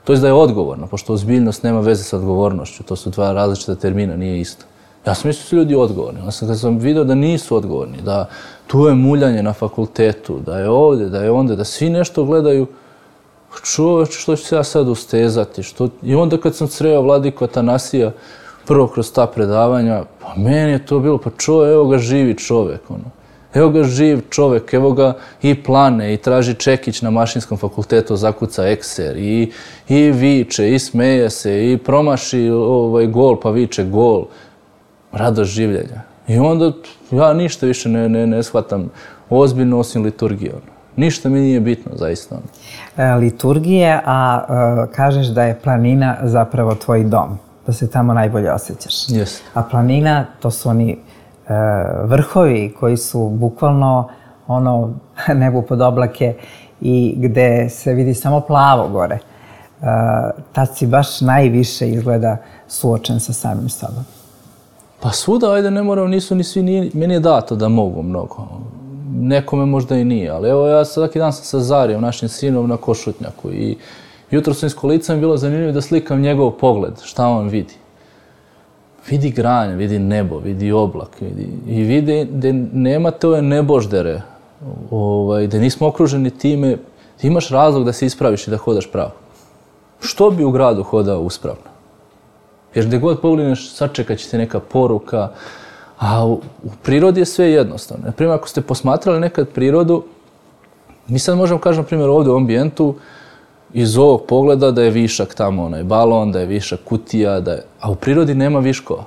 To je da je odgovorno, pošto ozbiljnost nema veze sa odgovornošću. To su dva različita termina, nije isto. Ja sam mislio da su ljudi odgovorni. Ja sam, kad sam vidio da nisu odgovorni, da tu je muljanje na fakultetu, da je ovdje, da je onda, da svi nešto gledaju, čoveče, što ću se ja sad ustezati? Što... I onda kad sam sreo Vladiku Atanasija, prvo kroz ta predavanja, pa meni je to bilo, pa čovjek, evo ga živi čovjek, ono. Evo ga živ čovjek, evo ga i plane, i traži čekić na mašinskom fakultetu, zakuca ekser, i, i viče, i smeje se, i promaši ovaj gol, pa viče gol. Radost življenja. I onda ja ništa više ne, ne, ne shvatam ozbiljno osim liturgije. Ništa mi nije bitno, zaista. E, liturgije, a e, kažeš da je planina zapravo tvoj dom, da se tamo najbolje osjećaš. Yes. A planina, to su oni e, vrhovi koji su bukvalno ono nebo pod oblake i gde se vidi samo plavo gore. E, tad si baš najviše izgleda suočen sa samim sobom. Pa svuda, ajde, ne moram, nisu ni svi, nije, meni je dato da mogu mnogo. Nekome možda i nije, ali evo ja svaki dan sam sa Zarijom, našim sinom, na Košutnjaku i jutro sam iz kolica mi bilo zanimljivo da slikam njegov pogled, šta on vidi. Vidi granje, vidi nebo, vidi oblak, vidi, i vidi da nemate ove neboždere, ovaj, da nismo okruženi time, ti imaš razlog da se ispraviš i da hodaš pravo. Što bi u gradu hodao uspravno? Jer gdje god pogledneš, sačekat će ti neka poruka, a u, u prirodi je sve jednostavno. Naprimjer, ako ste posmatrali nekad prirodu, Mi sad možemo kažem, na primjer, ovdje u ambijentu, iz ovog pogleda da je višak tamo onaj balon, da je višak kutija, da je... a u prirodi nema viškova.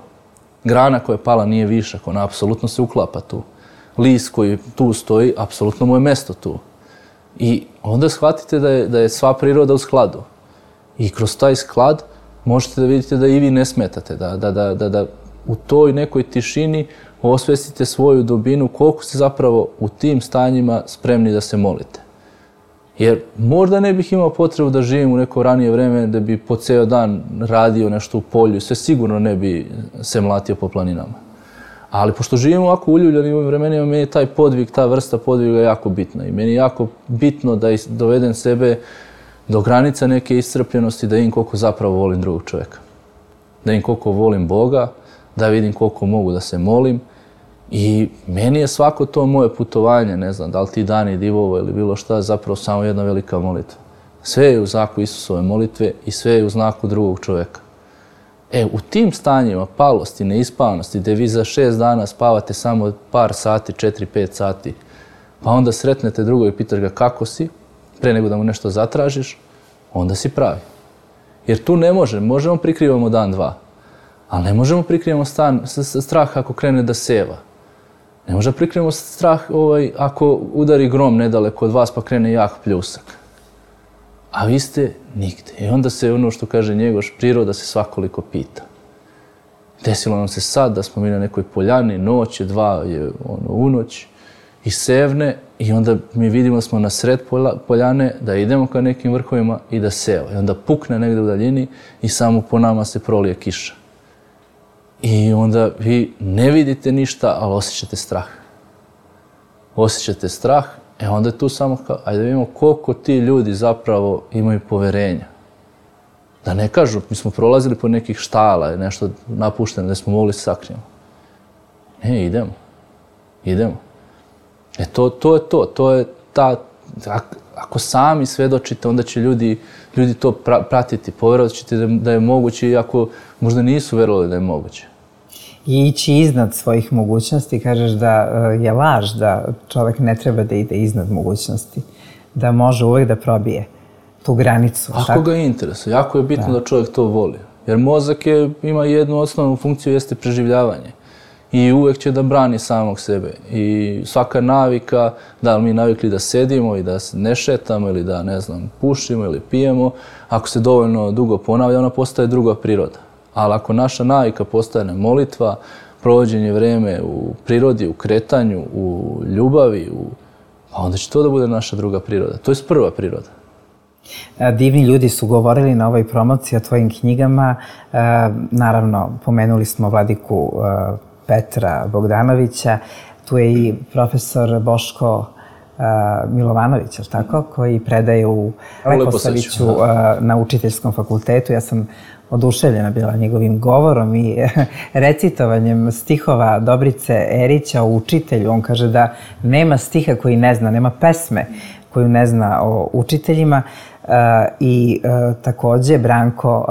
Grana koja je pala nije višak, ona apsolutno se uklapa tu. List koji tu stoji, apsolutno mu je mesto tu. I onda shvatite da je, da je sva priroda u skladu. I kroz taj sklad možete da vidite da i vi ne smetate, da, da, da, da, da u toj nekoj tišini osvestite svoju dubinu, koliko ste zapravo u tim stanjima spremni da se molite. Jer možda ne bih imao potrebu da živim u neko ranije vreme, da bi po ceo dan radio nešto u polju, sve sigurno ne bi se mlatio po planinama. Ali pošto živimo ovako uljuljeni u ovim vremenima, meni je taj podvig, ta vrsta podviga jako bitna. I meni je jako bitno da dovedem sebe do granica neke iscrpljenosti, da vidim koliko zapravo volim drugog čovjeka. Da vidim koliko volim Boga, da vidim koliko mogu da se molim. I meni je svako to moje putovanje, ne znam, da li ti dani divovo ili bilo šta, zapravo samo jedna velika molitva. Sve je u znaku Isusove molitve i sve je u znaku drugog čovjeka. E, u tim stanjima palosti, neispavanosti, gdje vi za šest dana spavate samo par sati, četiri, pet sati, pa onda sretnete drugo i pitaš ga kako si, pre nego da mu nešto zatražiš, onda si pravi. Jer tu ne možemo, možemo prikrivamo dan, dva, ali ne možemo prikrivamo stan, strah ako krene da seva. Ne možemo prikrivamo strah ovaj, ako udari grom nedaleko od vas pa krene jak pljusak. A vi ste nigde. I onda se ono što kaže Njegoš, priroda se svakoliko pita. Desilo nam se sad da smo mi na nekoj poljani, noć je, dva je ono, u noć, i sevne, i onda mi vidimo da smo na sred poljane, da idemo ka nekim vrhovima i da seva. I onda pukne negde u daljini i samo po nama se prolije kiša. I onda vi ne vidite ništa, ali osjećate strah. Osjećate strah, e onda je tu samo kao, ajde da vidimo koliko ti ljudi zapravo imaju poverenja. Da ne kažu, mi smo prolazili po nekih štala, nešto napušteno, da smo mogli se sakrijemo. Ne, idemo. Idemo. E to, to je to, to je ta, ako sami svedočite, onda će ljudi, ljudi to pra, pratiti, povjerovat ćete da, da je moguće, iako možda nisu verovali da je moguće. I ići iznad svojih mogućnosti, kažeš da je laž, da čovjek ne treba da ide iznad mogućnosti, da može uvek da probije tu granicu. Ako tako ga interesuje, jako je bitno da. da čovjek to voli. Jer mozak je, ima jednu osnovnu funkciju, jeste preživljavanje. I uvek će da brani samog sebe. I svaka navika, da li mi navikli da sedimo i da ne šetamo ili da, ne znam, pušimo ili pijemo, ako se dovoljno dugo ponavlja, ona postaje druga priroda. Ali ako naša navika postane molitva, provođenje vreme u prirodi, u kretanju, u ljubavi, u... pa onda će to da bude naša druga priroda. To je prva priroda. Divni ljudi su govorili na ovoj promociji o tvojim knjigama. Naravno, pomenuli smo vladiku Petra Bogdanovića. Tu je i profesor Boško Milovanović, je li tako? Koji predaje u Leposaviću na učiteljskom fakultetu. Ja sam oduševljena bila njegovim govorom i recitovanjem stihova Dobrice Erića o učitelju. On kaže da nema stiha koji ne zna, nema pesme koju ne zna o učiteljima. I takođe Branko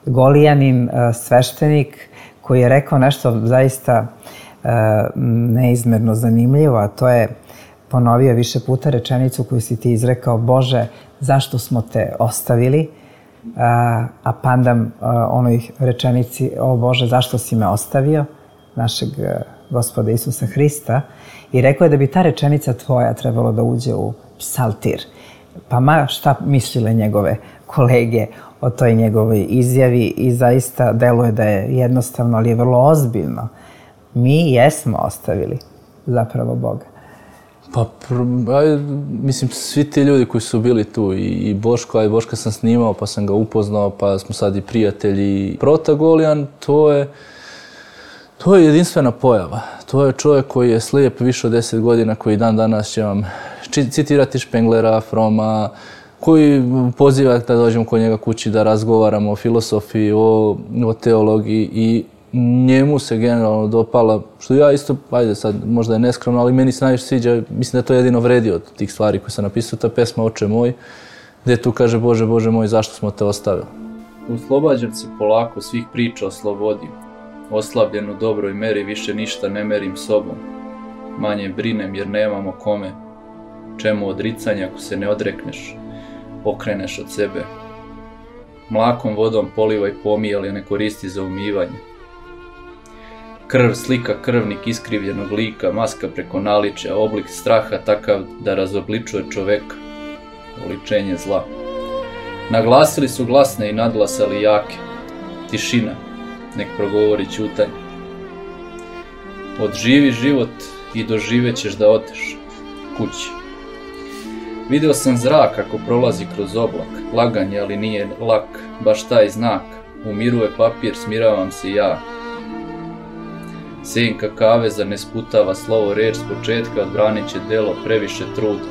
Golijanin, sveštenik, koji je rekao nešto zaista neizmerno zanimljivo, a to je ponovio više puta rečenicu koju si ti izrekao: Bože, zašto smo te ostavili? A pandam onoj rečenici: o Bože, zašto si me ostavio? Našeg Gospoda Isusa Hrista. I rekao je da bi ta rečenica tvoja trebalo da uđe u psaltir. Pa ma šta mislile njegove kolege o toj njegovoj izjavi, i zaista deluje da je jednostavno, ali je vrlo ozbiljno. Mi jesmo ostavili zapravo Boga. Pa, aj, mislim, svi ti ljudi koji su bili tu, i, i Boško, a i Boška sam snimao, pa sam ga upoznao, pa smo sad i prijatelji. Prota Golijan, to je, to je jedinstvena pojava. To je čovjek koji je slijep više od deset godina, koji dan danas će vam citirati Špenglera, Froma, koji poziva da dođemo kod njega kući da razgovaramo o filosofiji, o, o teologiji, i njemu se generalno dopala, što ja isto, ajde sad, možda je neskromno, ali meni se najviše sviđa, mislim da to jedino vredi od tih stvari koje sam napisao, ta pesma Oče moj, gdje tu kaže: Bože, Bože moj, zašto smo te ostavili? Oslobađam se polako svih priča o slobodi, oslabljen u dobroj meri, više ništa ne merim sobom, manje brinem jer nemamo kome, Čemu odricanje ako se ne odrekneš, okreneš od sebe? Mlakom vodom polivaj pomij, ali ne koristi za umivanje. Krv slika krvnik iskrivljenog lika, maska preko naličja, oblik straha takav da razobličuje čoveka, oličenje zla. Naglasili su glasne i nadglasali jake. Tišina, nek progovori ćutanje. Odživi život i doživećeš da odeš kući. Video sam zrak kako prolazi kroz oblak, laganje, ali nije lak, baš taj znak. Umiruje papir, smiravam se ja. Senka kaveza ne sputava slovo reč s početka, odbranit će delo, previše truda.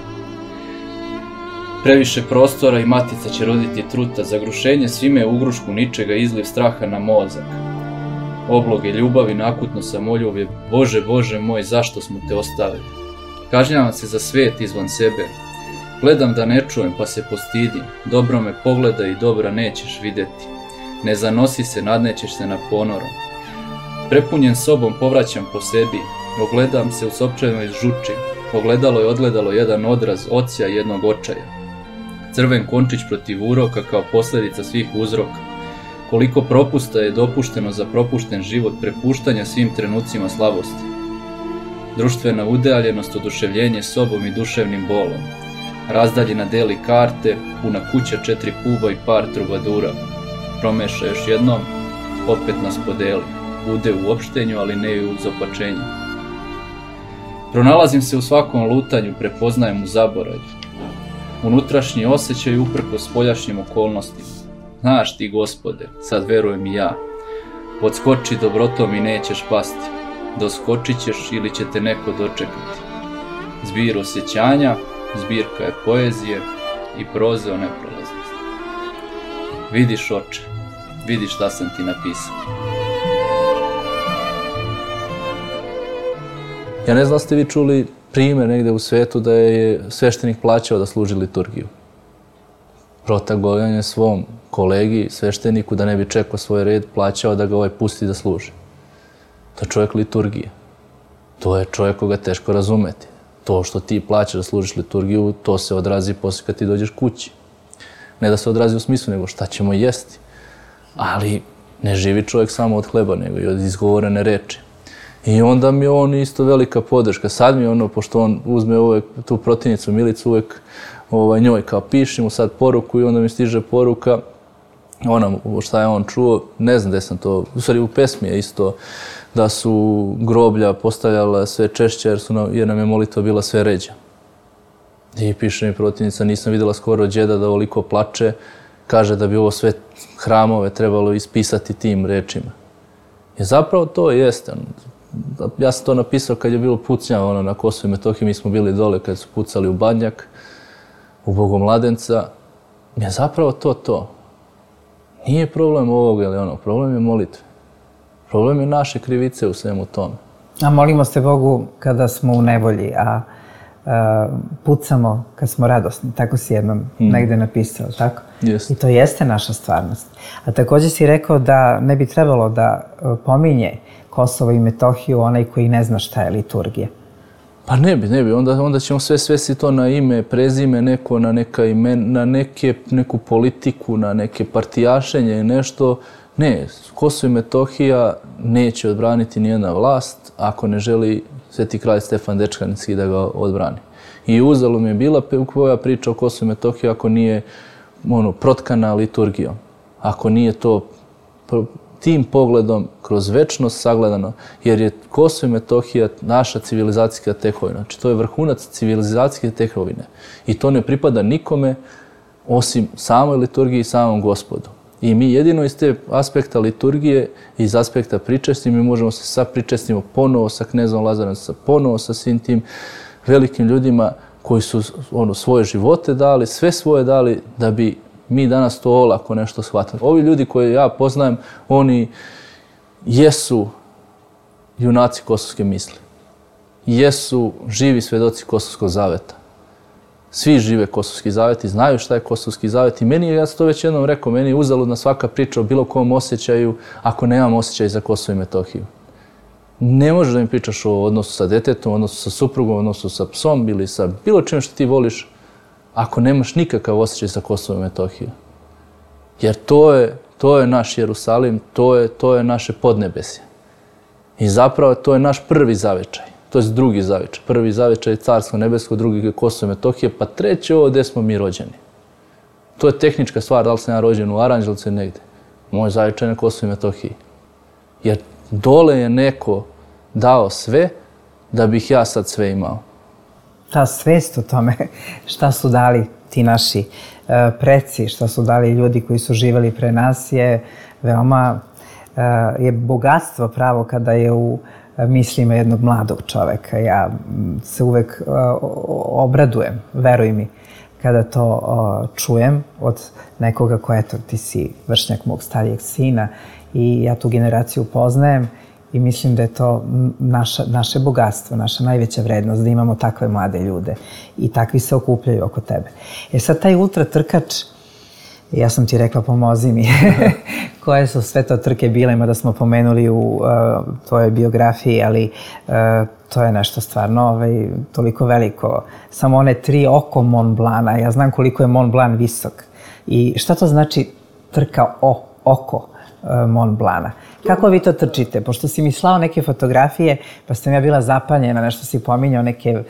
Previše prostora i matica će roditi truta, zagrušenje svime u ugrušku ničega, izliv straha na mozak. Obloge ljubavi, nakutno samoljubje, Bože, Bože moj, zašto smo te ostavili? Kažnjavam se za svet izvan sebe. Gledam da ne čujem pa se postidim, dobro me pogledaj i dobra nećeš vidjeti. Ne zanosi se, nadnećeš se na ponorom. Prepunjen sobom povraćam po sebi, ogledam se u sopčanoj žuči, ogledalo je odgledalo jedan odraz ocija jednog očaja. Crven končić protiv uroka kao posljedica svih uzroka. Koliko propusta je dopušteno za propušten život, prepuštanja svim trenucima slabosti. Društvena udaljenost, oduševljenje sobom i duševnim bolom. Razdaljina deli karte, puna kuća četiri puba i par trubadura. Promeša još jednom, opet nas podeli. Bude u opštenju, ali ne i u zopačenju. Pronalazim se u svakom lutanju, prepoznajem u zaboravlju. Unutrašnji osjećaj uprko spoljašnjim okolnostima. Znaš ti, Gospode, sad verujem i ja. Podskoči dobrotom i nećeš pasti. Doskočit ćeš ili će te neko dočekati. Zbir osjećanja, zbirka je poezije i proze o neprolaznosti. Vidiš, oče, vidiš šta sam ti napisao. Ja ne znam da ste vi čuli primjer negdje u svijetu da je sveštenik plaćao da služi liturgiju. Protagovan je svom kolegi, svešteniku, da ne bi čekao svoj red, plaćao da ga ovaj pusti da služi. To je čovjek liturgije. To je čovjek koga teško razumeti. To što ti plaćaš da služiš liturgiju, to se odrazi poslije kad ti dođeš kući. Ne da se odrazi u smislu, nego šta ćemo jesti. Ali ne živi čovjek samo od hleba, nego i od izgovorene reči. I onda mi je on isto velika podrška. Sad mi je ono, pošto on uzme uvek tu protivnicu Milicu, uvek ovaj, njoj kao piši mu sad poruku i onda mi stiže poruka, ona šta je on čuo, ne znam gde sam to, u stvari u pesmi je isto, da su groblja postavljala sve češće jer, su nam, jer nam je molitva bila sve ređa. I piše mi protivnica, nisam vidjela skoro djeda da ovoliko plače, kaže da bi ovo sve hramove trebalo ispisati tim rečima. I zapravo to jeste. Ja sam to napisao kad je bilo pucnja ono, na Kosovu i Metohiji, mi smo bili dole kad su pucali u Badnjak, u Bogomladenca. Je zapravo to to. Nije problem ovoga ili ono, problem je molitve. Problem je naše krivice u svemu tome. A molimo se Bogu kada smo u nevolji, a, a pucamo kad smo radosni. Tako si jednom mm. negde napisao, tako? Yes. I to jeste naša stvarnost. A također si rekao da ne bi trebalo da pominje Kosovo i Metohiju onaj koji ne zna šta je liturgija. Pa ne bi, ne bi. Onda, onda ćemo sve svesti to na ime, prezime, neko, na, neka imen, na neke, neku politiku, na neke partijašenje i nešto. Ne, Kosovo i Metohija neće odbraniti nijedna vlast ako ne želi Sveti kralj Stefan Dečkanski da ga odbrani. I uzalud mi je bila koja priča o Kosovu i Metohiji ako nije ono, protkana liturgijom. Ako nije to tim pogledom kroz večnost sagledano, jer je Kosovo i Metohija naša civilizacijska tekovina. Znači, to je vrhunac civilizacijske tekovine. I to ne pripada nikome osim samoj liturgiji i samom Gospodu. I mi jedino iz te aspekta liturgije, iz aspekta pričesti, mi možemo se sad pričestimo ponovo sa knezom Lazarom, ponovo sa svim tim velikim ljudima koji su ono, svoje živote dali, sve svoje dali da bi mi danas to olako nešto shvatili. Ovi ljudi koje ja poznajem, oni jesu junaci kosovske misli. Jesu živi svedoci Kosovskog zaveta. Svi žive Kosovski zavet i znaju šta je Kosovski zavet. I meni je, ja sam to već jednom rekao, meni je uzaludna svaka priča o bilo kom osjećaju ako nemam osjećaj za Kosovo i Metohiju. Ne možeš da mi pričaš o odnosu sa detetom, odnosu sa suprugom, odnosu sa psom ili sa bilo čim što ti voliš, ako nemaš nikakav osjećaj sa Kosovom i Metohijom. Jer to je, to je naš Jerusalim, to je, to je naše podnebesje. I zapravo to je naš prvi zavičaj, to je drugi zavičaj. Prvi zavičaj je Carsko nebesko, drugi je Kosovo i Metohija, pa treći ovo gdje smo mi rođeni. To je tehnička stvar, da li sam ja rođen u Aranđelovcu ili negdje. Moj zavičaj na Kosovo i Metohiji. Jer dole je neko dao sve da bih ja sad sve imao. Ta svest o tome šta su dali ti naši preci, šta su dali ljudi koji su živjeli pre nas je veoma je bogatstvo pravo kada je u mislima jednog mladog čoveka. Ja se uvek obradujem, veruj mi, kada to čujem od nekoga ko, eto, ti si vršnjak mog starijeg sina i ja tu generaciju poznajem i mislim da je to naša, naše bogatstvo, naša najveća vrednost, da imamo takve mlade ljude i takvi se okupljaju oko tebe. E sad, taj ultra trkač, ja sam ti rekla pomozi mi, koje su sve to trke bile, mada smo pomenuli u uh, tvojoj biografiji, ali uh, to je nešto stvarno ovaj, toliko veliko. Samo one tri oko Mont Blana, ja znam koliko je Mont Blanc visok. I šta to znači trka o, oko uh, Mont Blana? Kako vi to trčite? Pošto si mi slao neke fotografije, pa sam ja bila zapanjena, nešto si pominjao, neke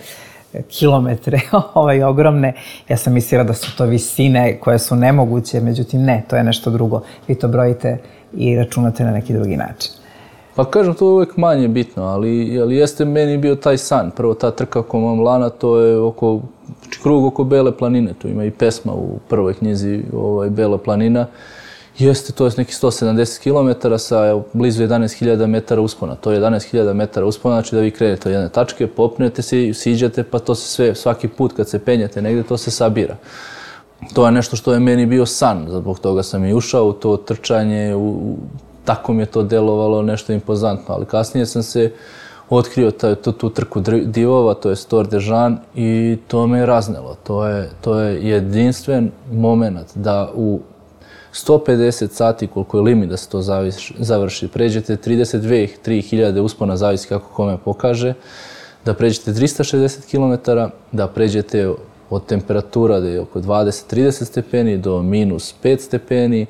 kilometre ovaj, ogromne. Ja sam mislila da su to visine koje su nemoguće, međutim ne, to je nešto drugo. Vi to brojite i računate na neki drugi način. Pa kažem, to je uvijek manje bitno, ali, ali jeste meni bio taj san. Prvo ta trka oko Mont Blana, to je oko, krug oko Bele planine, tu ima i pesma u prvoj knjizi ovaj, Bela planina. Jeste, to je nekih sto sedamdeset kilometara sa evo, blizu jedanaest hiljada metara uspona. To je jedanaest hiljada metara uspona, znači da vi krenete od jedne tačke, popnete se, siđete, pa to se sve, svaki put kad se penjete negdje, to se sabira. To je nešto što je meni bio san, zbog toga sam i ušao u to trčanje, u, u, tako mi je to delovalo nešto impozantno, ali kasnije sam se otkrio taj, tu, tu trku divova, to je Tour de Jean i to me je raznelo. To je, to je jedinstven moment da u sto pedeset sati, koliko je limit da se to završi, pređete trideset dve do tri hiljade uspona, zavisi kako kome pokaže, da pređete trista šezdeset kilometara, da pređete od temperatura da je oko dvadeset do trideset stepeni do minus pet stepeni,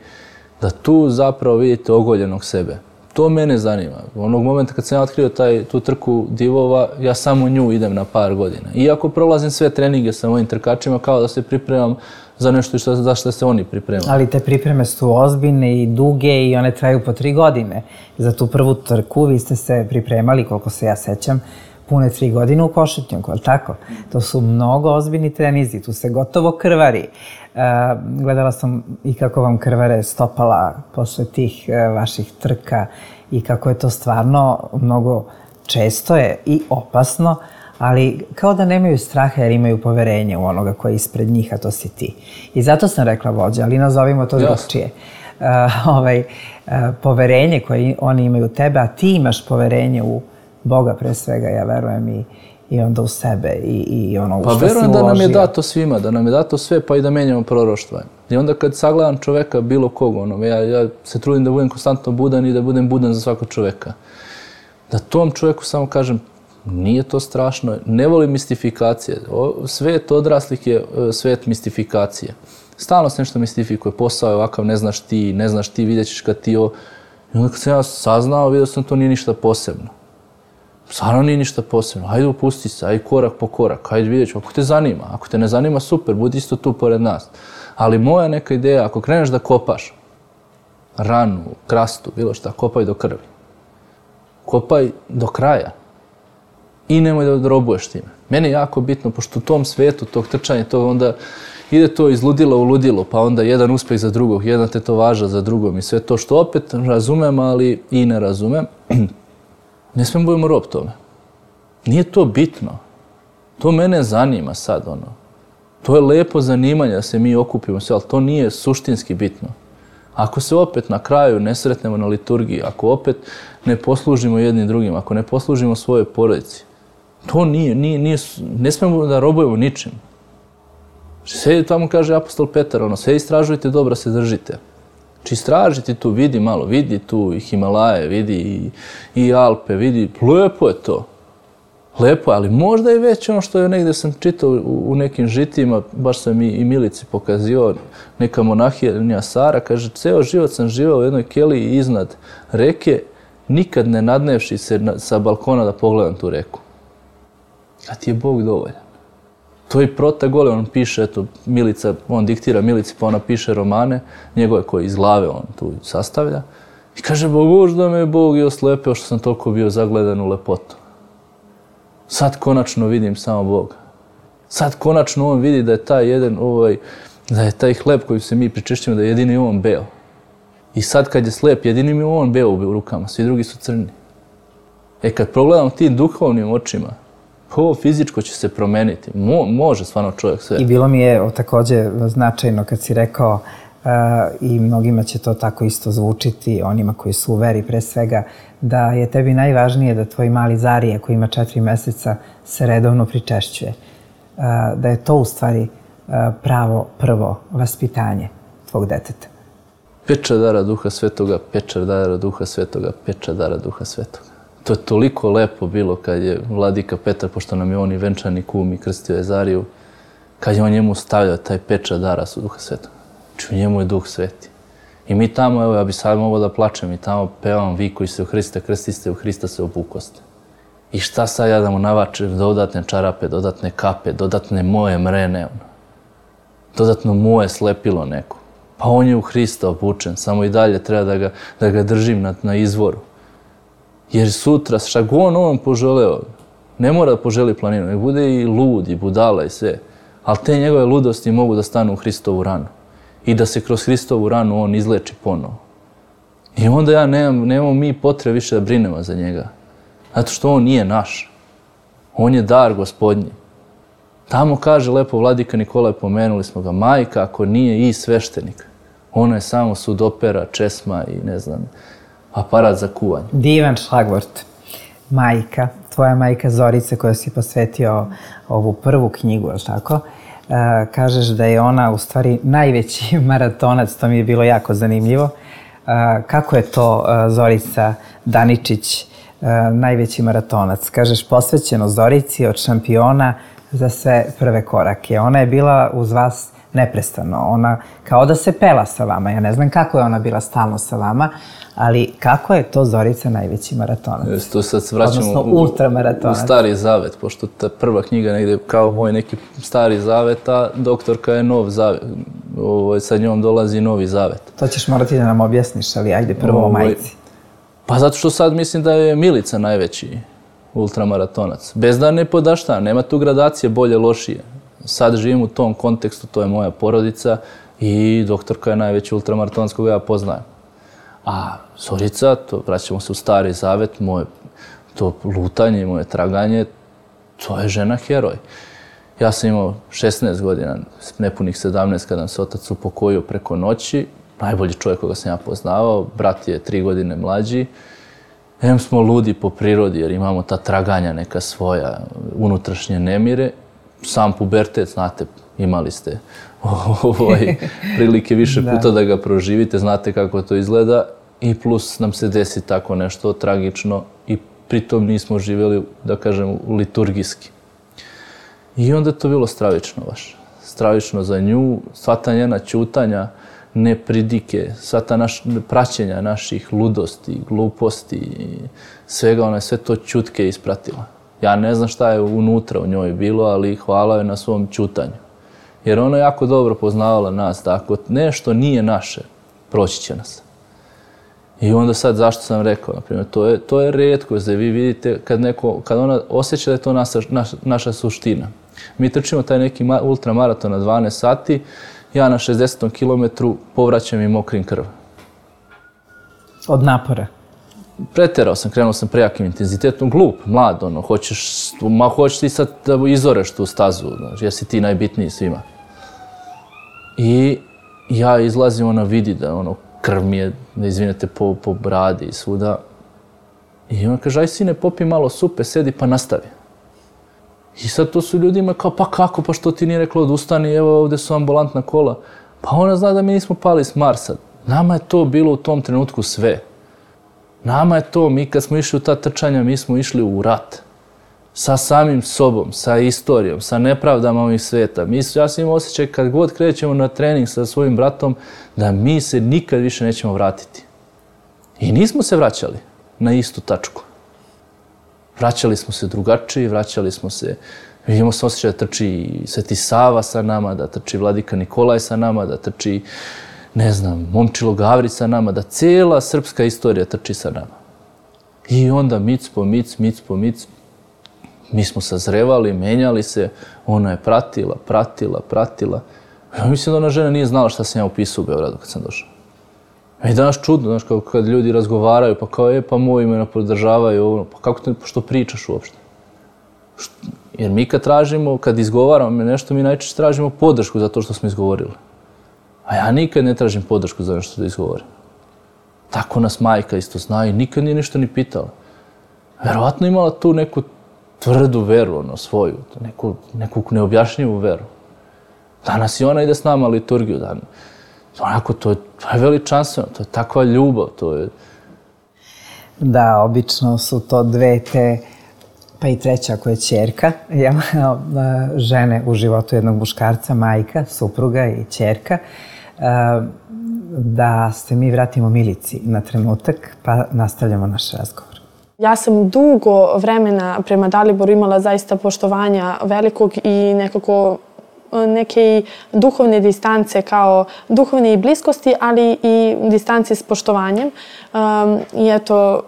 da tu zapravo vidite ogoljenog sebe. To mene zanima. Onog momenta kad sam ja otkrio taj, tu trku divova, ja samo nju idem na par godina. Iako prolazim sve treninge sa mojim trkačima kao da se pripremam za nešto što, za što se oni pripremaju. Ali te pripreme su ozbiljne i duge i one traju po tri godine. Za tu prvu trku vi ste se pripremali, koliko se ja sećam, pune tri godine u Košutnjaku, ali tako? To su mnogo ozbiljni trenizi, tu se gotovo krvari. Uh, gledala sam i kako vam krvare stopala posle tih uh, vaših trka i kako je to stvarno mnogo često je i opasno, ali kao da nemaju straha jer imaju poverenje u onoga koji je ispred njih, a to si ti. I zato sam rekla vođa, ali nazovimo to drugčije. Uh, ovaj, uh, poverenje koje oni imaju u tebe, a ti imaš poverenje u Boga pre svega, ja verujem, i, i onda u sebe i, i ono pa što si uložio. Pa verujem da nam je dato svima, da nam je dato sve, pa i da menjamo proroštva. I onda kad sagledam čoveka, bilo kog, ono, ja, ja se trudim da budem konstantno budan i da budem budan za svakog čoveka. Da tom čoveku samo kažem, nije to strašno, ne volim mistifikacije. O, svet odraslih je svet mistifikacije. Stalno se nešto mistifikuje, posao je ovakav, ne znaš ti, ne znaš ti, vidjet ćeš kad ti ovo. I onda kad sam ja saznao, vidio sam to nije ništa posebno. Stvarno nije ništa posebno. Hajde upusti se, hajde korak po korak, hajde vidjet ću. Ako te zanima, ako te ne zanima, super, budi isto tu pored nas. Ali moja neka ideja, ako kreneš da kopaš ranu, krastu, bilo šta, kopaj do krvi. Kopaj do kraja. I nemoj da robuješ time. Meni je jako bitno, pošto u tom svetu, tog trčanja, to onda ide to iz ludila u ludilo, pa onda jedan uspeh za drugog, jedna tetovaža za drugom i sve to što opet razumem, ali i ne razumem. Ne smijem budemo rob tome. Nije to bitno. To mene zanima sad, ono. To je lepo zanimanje da se mi okupimo sve, ali to nije suštinski bitno. Ako se opet na kraju ne sretnemo na liturgiji, ako opet ne poslužimo jednim drugim, ako ne poslužimo svojoj porodici, to nije, nije, nije, ne smijemo da robujemo ničim. Sve tamo kaže apostol Petar, ono, sve istražujte, dobro se držite. Či istražiti tu, vidi malo, vidi tu i Himalaje, vidi i, i Alpe, vidi, lepo je to. Lepo je, ali možda je već ono što je negdje sam čitao u, u nekim žitima, baš sam i, i Milici pokazio, neka monahija Sara, kaže, ceo život sam živao u jednoj keliji iznad reke, nikad ne nadnevši se na, sa balkona da pogledam tu reku. A ti je Bog dovoljan. To je Protagole, on piše, eto, Milica, on diktira Milici, pa ona piše romane, njegove koje iz glave on tu sastavlja. I kaže, možda me je Bog i oslepeo što sam toliko bio zagledan u lepotu. Sad konačno vidim samo Boga. Sad konačno on vidi da je taj jedan, ovaj, da je taj hleb koji se mi pričešćujemo, da je jedini on beo. I sad kad je slep, jedini mi on beo u rukama, svi drugi su crni. E kad progledam tim duhovnim očima, ovo fizičko će se promeniti. Mo, može stvarno čovjek sve. I bilo mi je također značajno kad si rekao uh, i mnogima će to tako isto zvučiti, onima koji su u veri pre svega, da je tebi najvažnije da tvoj mali Zarije koji ima četiri meseca se redovno pričešćuje. Uh, da je to u stvari uh, pravo prvo vaspitanje tvog deteta. Peča dara Duha Svetoga, peča dara Duha Svetoga, peča dara Duha Svetoga. To je toliko lepo bilo kad je vladika Petar, pošto nam je on i venčani kum i krstio je Zariju, kad je on njemu stavljao taj pečat dara su Duha Svetoga. Znači u njemu je Duh Sveti. I mi tamo, evo ja bi sad mogao da plačem, i tamo pevam vi koji se u Hrista krstiste, u Hrista se obukoste. I šta sad ja da mu navačem dodatne čarape, dodatne kape, dodatne moje mrene, ono. Dodatno moje slepilo neko. Pa on je u Hrista obučen, samo i dalje treba da ga, da ga držim na, na izvoru. Jer sutra, šta god on poželeo, ne mora da poželi planinu, nek bude i lud, i budala i sve. Ali te njegove ludosti mogu da stanu u Hristovu ranu. I da se kroz Hristovu ranu on izleči ponovo. I onda ja nemam, nemamo mi potrebe više da brinemo za njega. Zato što on nije naš. On je dar Gospodnji. Tamo kaže lepo vladika Nikolaj, pomenuli smo ga, majka ako nije i sveštenik. Ona je samo sudopera, česma i ne znam, aparat za kuvanje. Divan šlagvort. Majka, tvoja majka Zorica koja si posvetio ovu prvu knjigu, je li tako? Uh, kažeš da je ona u stvari najveći maratonac, to mi je bilo jako zanimljivo. Uh, kako je to uh, Zorica Daničić, uh, najveći maratonac? Kažeš posvećeno Zorici od šampiona za sve prve korake. Ona je bila uz vas neprestano. Ona kao da se pela sa vama. Ja ne znam kako je ona bila stalno sa vama, ali kako je to Zorica najveći maratonac? Jeste, to sad se vraćamo odnosno u, ultramaratonac. U Stari Zavet, pošto ta prva knjiga negdje kao moj neki Stari Zavet, a doktorka je Nov Zavet. Ovo, sa njom dolazi Novi Zavet. To ćeš morati da nam objasniš, ali ajde prvo o majci. Pa zato što sad mislim da je Milica najveći ultramaratonac. Bez da ne podašta, nema tu gradacije bolje, lošije. Sad živim u tom kontekstu, to je moja porodica i doktorka je najveći ultramaratonac koga ja poznajem. A Zorica, to vraćamo se u Stari Zavet, moje to lutanje i moje traganje, to je žena heroj. Ja sam imao šesnaest godina, nepunih sedamnaest kada nam se otac upokojio preko noći, najbolji čovjek koga sam ja poznavao, brat je tri godine mlađi. Em smo ludi po prirodi jer imamo ta traganja neka svoja, unutrašnje nemire. Sam pubertet, znate, imali ste ovaj, prilike više puta da ga proživite, znate kako to izgleda i plus nam se desi tako nešto tragično i pritom nismo živjeli, da kažem, liturgijski. I onda je to bilo stravično baš. Stravično za nju, sva ta njena ćutanja, nepridike, sva ta naš, praćenja naših ludosti, gluposti i svega, ona je sve to ćutke ispratila. Ja ne znam šta je unutra u njoj bilo, ali hvala joj na svom ćutanju. Jer ona je jako dobro poznavala nas, da ako nešto nije naše, proći će nas. I onda sad, zašto sam rekao, na primjer, to je, to je retkost da vi vidite kad, neko, kad ona osjeća da je to naša, naša, naša suština. Mi trčimo taj neki ultramaraton na dvanaest sati, ja na šezdesetom kilometru povraćam i mokrim krv. Od napora? Preterao sam, krenuo sam prejakim intenzitetom, glup, mlad, ono, hoćeš, ma hoćeš ti sad da izoreš tu stazu, znaš, jer si ti najbitniji svima. I ja izlazim, ona vidi da, ono, krv mi je, da izvinete, po, po bradi i svuda. I ona kaže, aj sine, popi malo supe, sedi pa nastavi. I sad to su ljudima kao, pa kako, pa što ti nije rekla odustani, evo ovdje su ambulantna kola. Pa ona zna da mi nismo pali s Marsa. Nama je to bilo u tom trenutku sve. Nama je to, mi kad smo išli u ta trčanja, mi smo išli u rat. Sa samim sobom, sa istorijom, sa nepravdama ovih sveta. Mi, ja sam imao osjećaj kad god krećemo na trening sa svojim bratom, da mi se nikad više nećemo vratiti. I nismo se vraćali na istu tačku. Vraćali smo se drugačiji, vraćali smo se, imamo se osjećaj da trči Sveti Sava sa nama, da trči Vladika Nikolaj sa nama, da trči, ne znam, Momčilo Gavrić sa nama, da cijela srpska istorija trči sa nama. I onda mic po mic, mic po mic, mi smo sazrevali, menjali se, ona je pratila, pratila, pratila. Ja mislim da ona žena nije znala šta sam ja upisao u Beogradu kad sam došao. I danas čudno, znaš, kao kad ljudi razgovaraju, pa kao, e, pa moji me podržavaju, ono, pa kako te, što pričaš uopšte? Jer mi kad tražimo, kad izgovaramo nešto, mi najčešće tražimo podršku za to što smo izgovorili. A ja nikad ne tražim podršku za nešto da izgovorim. Tako nas majka isto zna i nikad nije ništa ni pitala. Verovatno imala tu neku tvrdu veru, ono, svoju, neku, neku neobjašnjivu veru. Danas i ona ide s nama liturgiju, dan. Onako, to je, to je veličanstveno, to je takva ljubav, to je... Da, obično su to dve te, pa i treća ako je ćerka, žene u životu jednog muškarca, majka, supruga i ćerka, da se mi vratimo Milici na trenutak, pa nastavljamo naš razgovor. Ja sam dugo vremena prema Daliboru imala zaista poštovanja velikog i nekako neke duhovne distance kao duhovne i bliskosti, ali i distance s poštovanjem. I eto,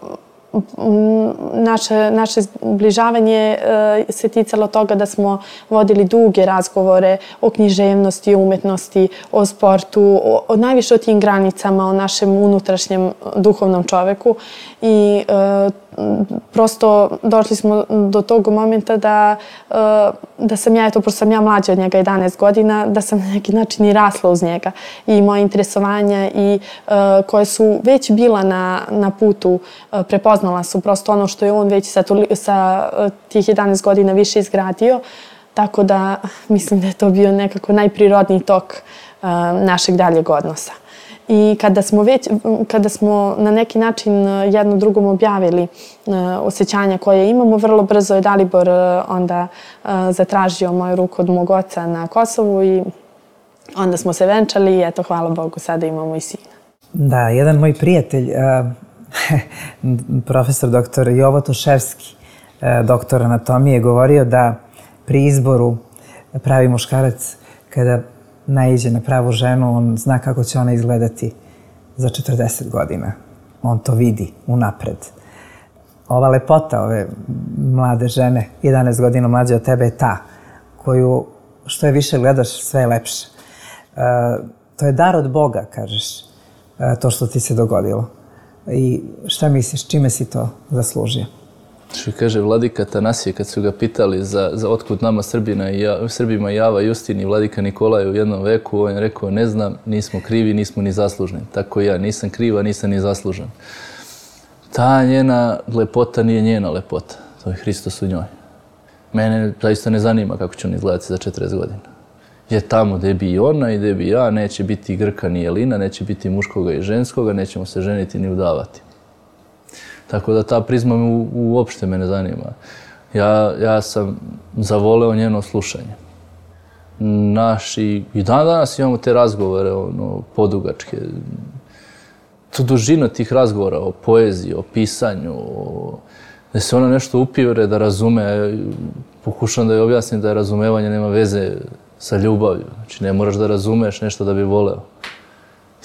naše, naše zbližavanje se ticalo toga da smo vodili duge razgovore o književnosti, o umetnosti, o sportu, o, o najviše o tim granicama, o našem unutrašnjem duhovnom čoveku. I e, prosto došli smo do tog momenta da, da sam ja, eto, pošto sam ja mlađa od njega jedanaest godina, da sam na neki način i rasla uz njega. I moje interesovanja i koje su već bila na, na putu, prepoznala su prosto ono što je on već sa, sa tih jedanaest godina više izgradio. Tako da mislim da je to bio nekako najprirodniji tok našeg daljeg odnosa. I kada smo već, kada smo na neki način jedno drugom objavili osjećanja koje imamo, vrlo brzo je Dalibor onda zatražio moju ruku od mog oca na Kosovu i onda smo se venčali i eto, hvala Bogu, sada imamo i sina. Da, jedan moj prijatelj, profesor doktor Jovo Toševski, doktor anatomije, govorio da pri izboru pravi muškarac, kada naiđe na pravu ženu, on zna kako će ona izgledati za četrdeset godina. On to vidi unapred. Ova lepota ove mlade žene, jedanaest godina mlađe od tebe, je ta koju što je više gledaš, sve je lepše. E, to je dar od Boga, kažeš, e, to što ti se dogodilo. I šta misliš, čime si to zaslužio? Što kaže Vladika Tanasije, kad su ga pitali za, za otkud nama Srbina i ja, Srbima Java, Justin i Vladika Nikolaj u jednom veku, on je rekao, ne znam, nismo krivi, nismo ni zaslužni. Tako i ja, nisam kriva, nisam ni zaslužen. Ta njena lepota nije njena lepota, to je Hristos u njoj. Mene zaista ne zanima kako će on izgledati za četrdeset godina. Jer tamo gdje bi i ona i gdje bi ja, neće biti Grka ni Jelina, neće biti muškoga i ženskoga, nećemo se ženiti ni udavati. Tako da ta prizma me uopšte me ne zanima. Ja, ja sam zavoleo njeno slušanje. Naši, i dan danas imamo te razgovore, ono, podugačke. To dužina tih razgovora o poeziji, o pisanju, o, da se ona nešto upivre, da razume. Pokušam da joj objasnim da je razumevanje nema veze sa ljubavlju. Znači, ne moraš da razumeš nešto da bi voleo.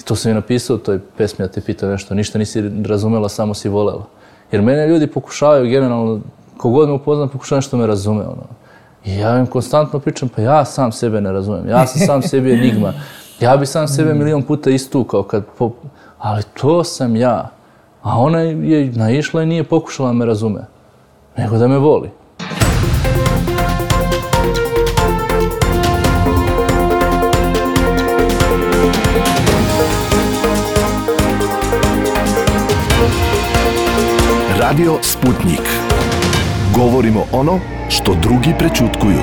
I to sam je napisao u toj pesmi, ja te pitao nešto, ništa nisi razumela, samo si volela. Jer mene ljudi pokušavaju generalno, kogod me upoznam, pokušaju nešto me razume. Ono. I ja im konstantno pričam, pa ja sam sebe ne razumem, ja sam sam sebi enigma. Ja bi sam sebe milion puta istukao, kad po... ali to sam ja. A ona je naišla i nije pokušala da me razume, nego da me voli. Radio Sputnik. Govorimo ono što drugi prećutkuju.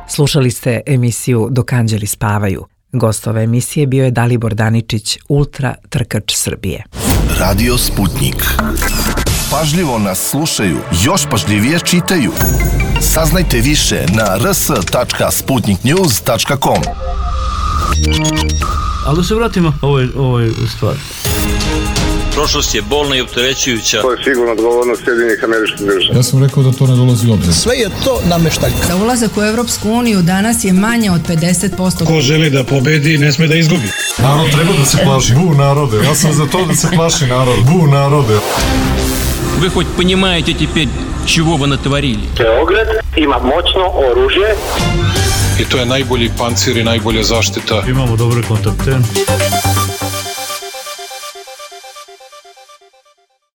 Slušali ste emisiju Dok anđeli spavaju. Gost ove emisije bio je Dalibor Daničić, ultra trkač Srbije. Radio Sputnik. Pažljivo nas slušaju, još pažljivije čitaju. Saznajte više na r s tačka sputnik news tačka com. Ali da se vratimo ovoj, ovoj stvari. Prošlost je bolna i opterećujuća. To je sigurno odgovornost Sjedinjenih Američkih Država. Ja sam rekao da to ne dolazi u obzir. Sve je to nameštaljka. Za ulazak u Evropsku uniju danas je manje od pedeset posto. Ko želi da pobedi, ne sme da izgubi. Narod treba da se plaši. Bu narode. Ja sam za to da se plaši narod. Bu narode. Вы хоть понимаете теперь, чего вы натворили? Beograd ima moćno oružje. I to je najbolji pancir i najbolja zaštita. Imamo dobre kontakte.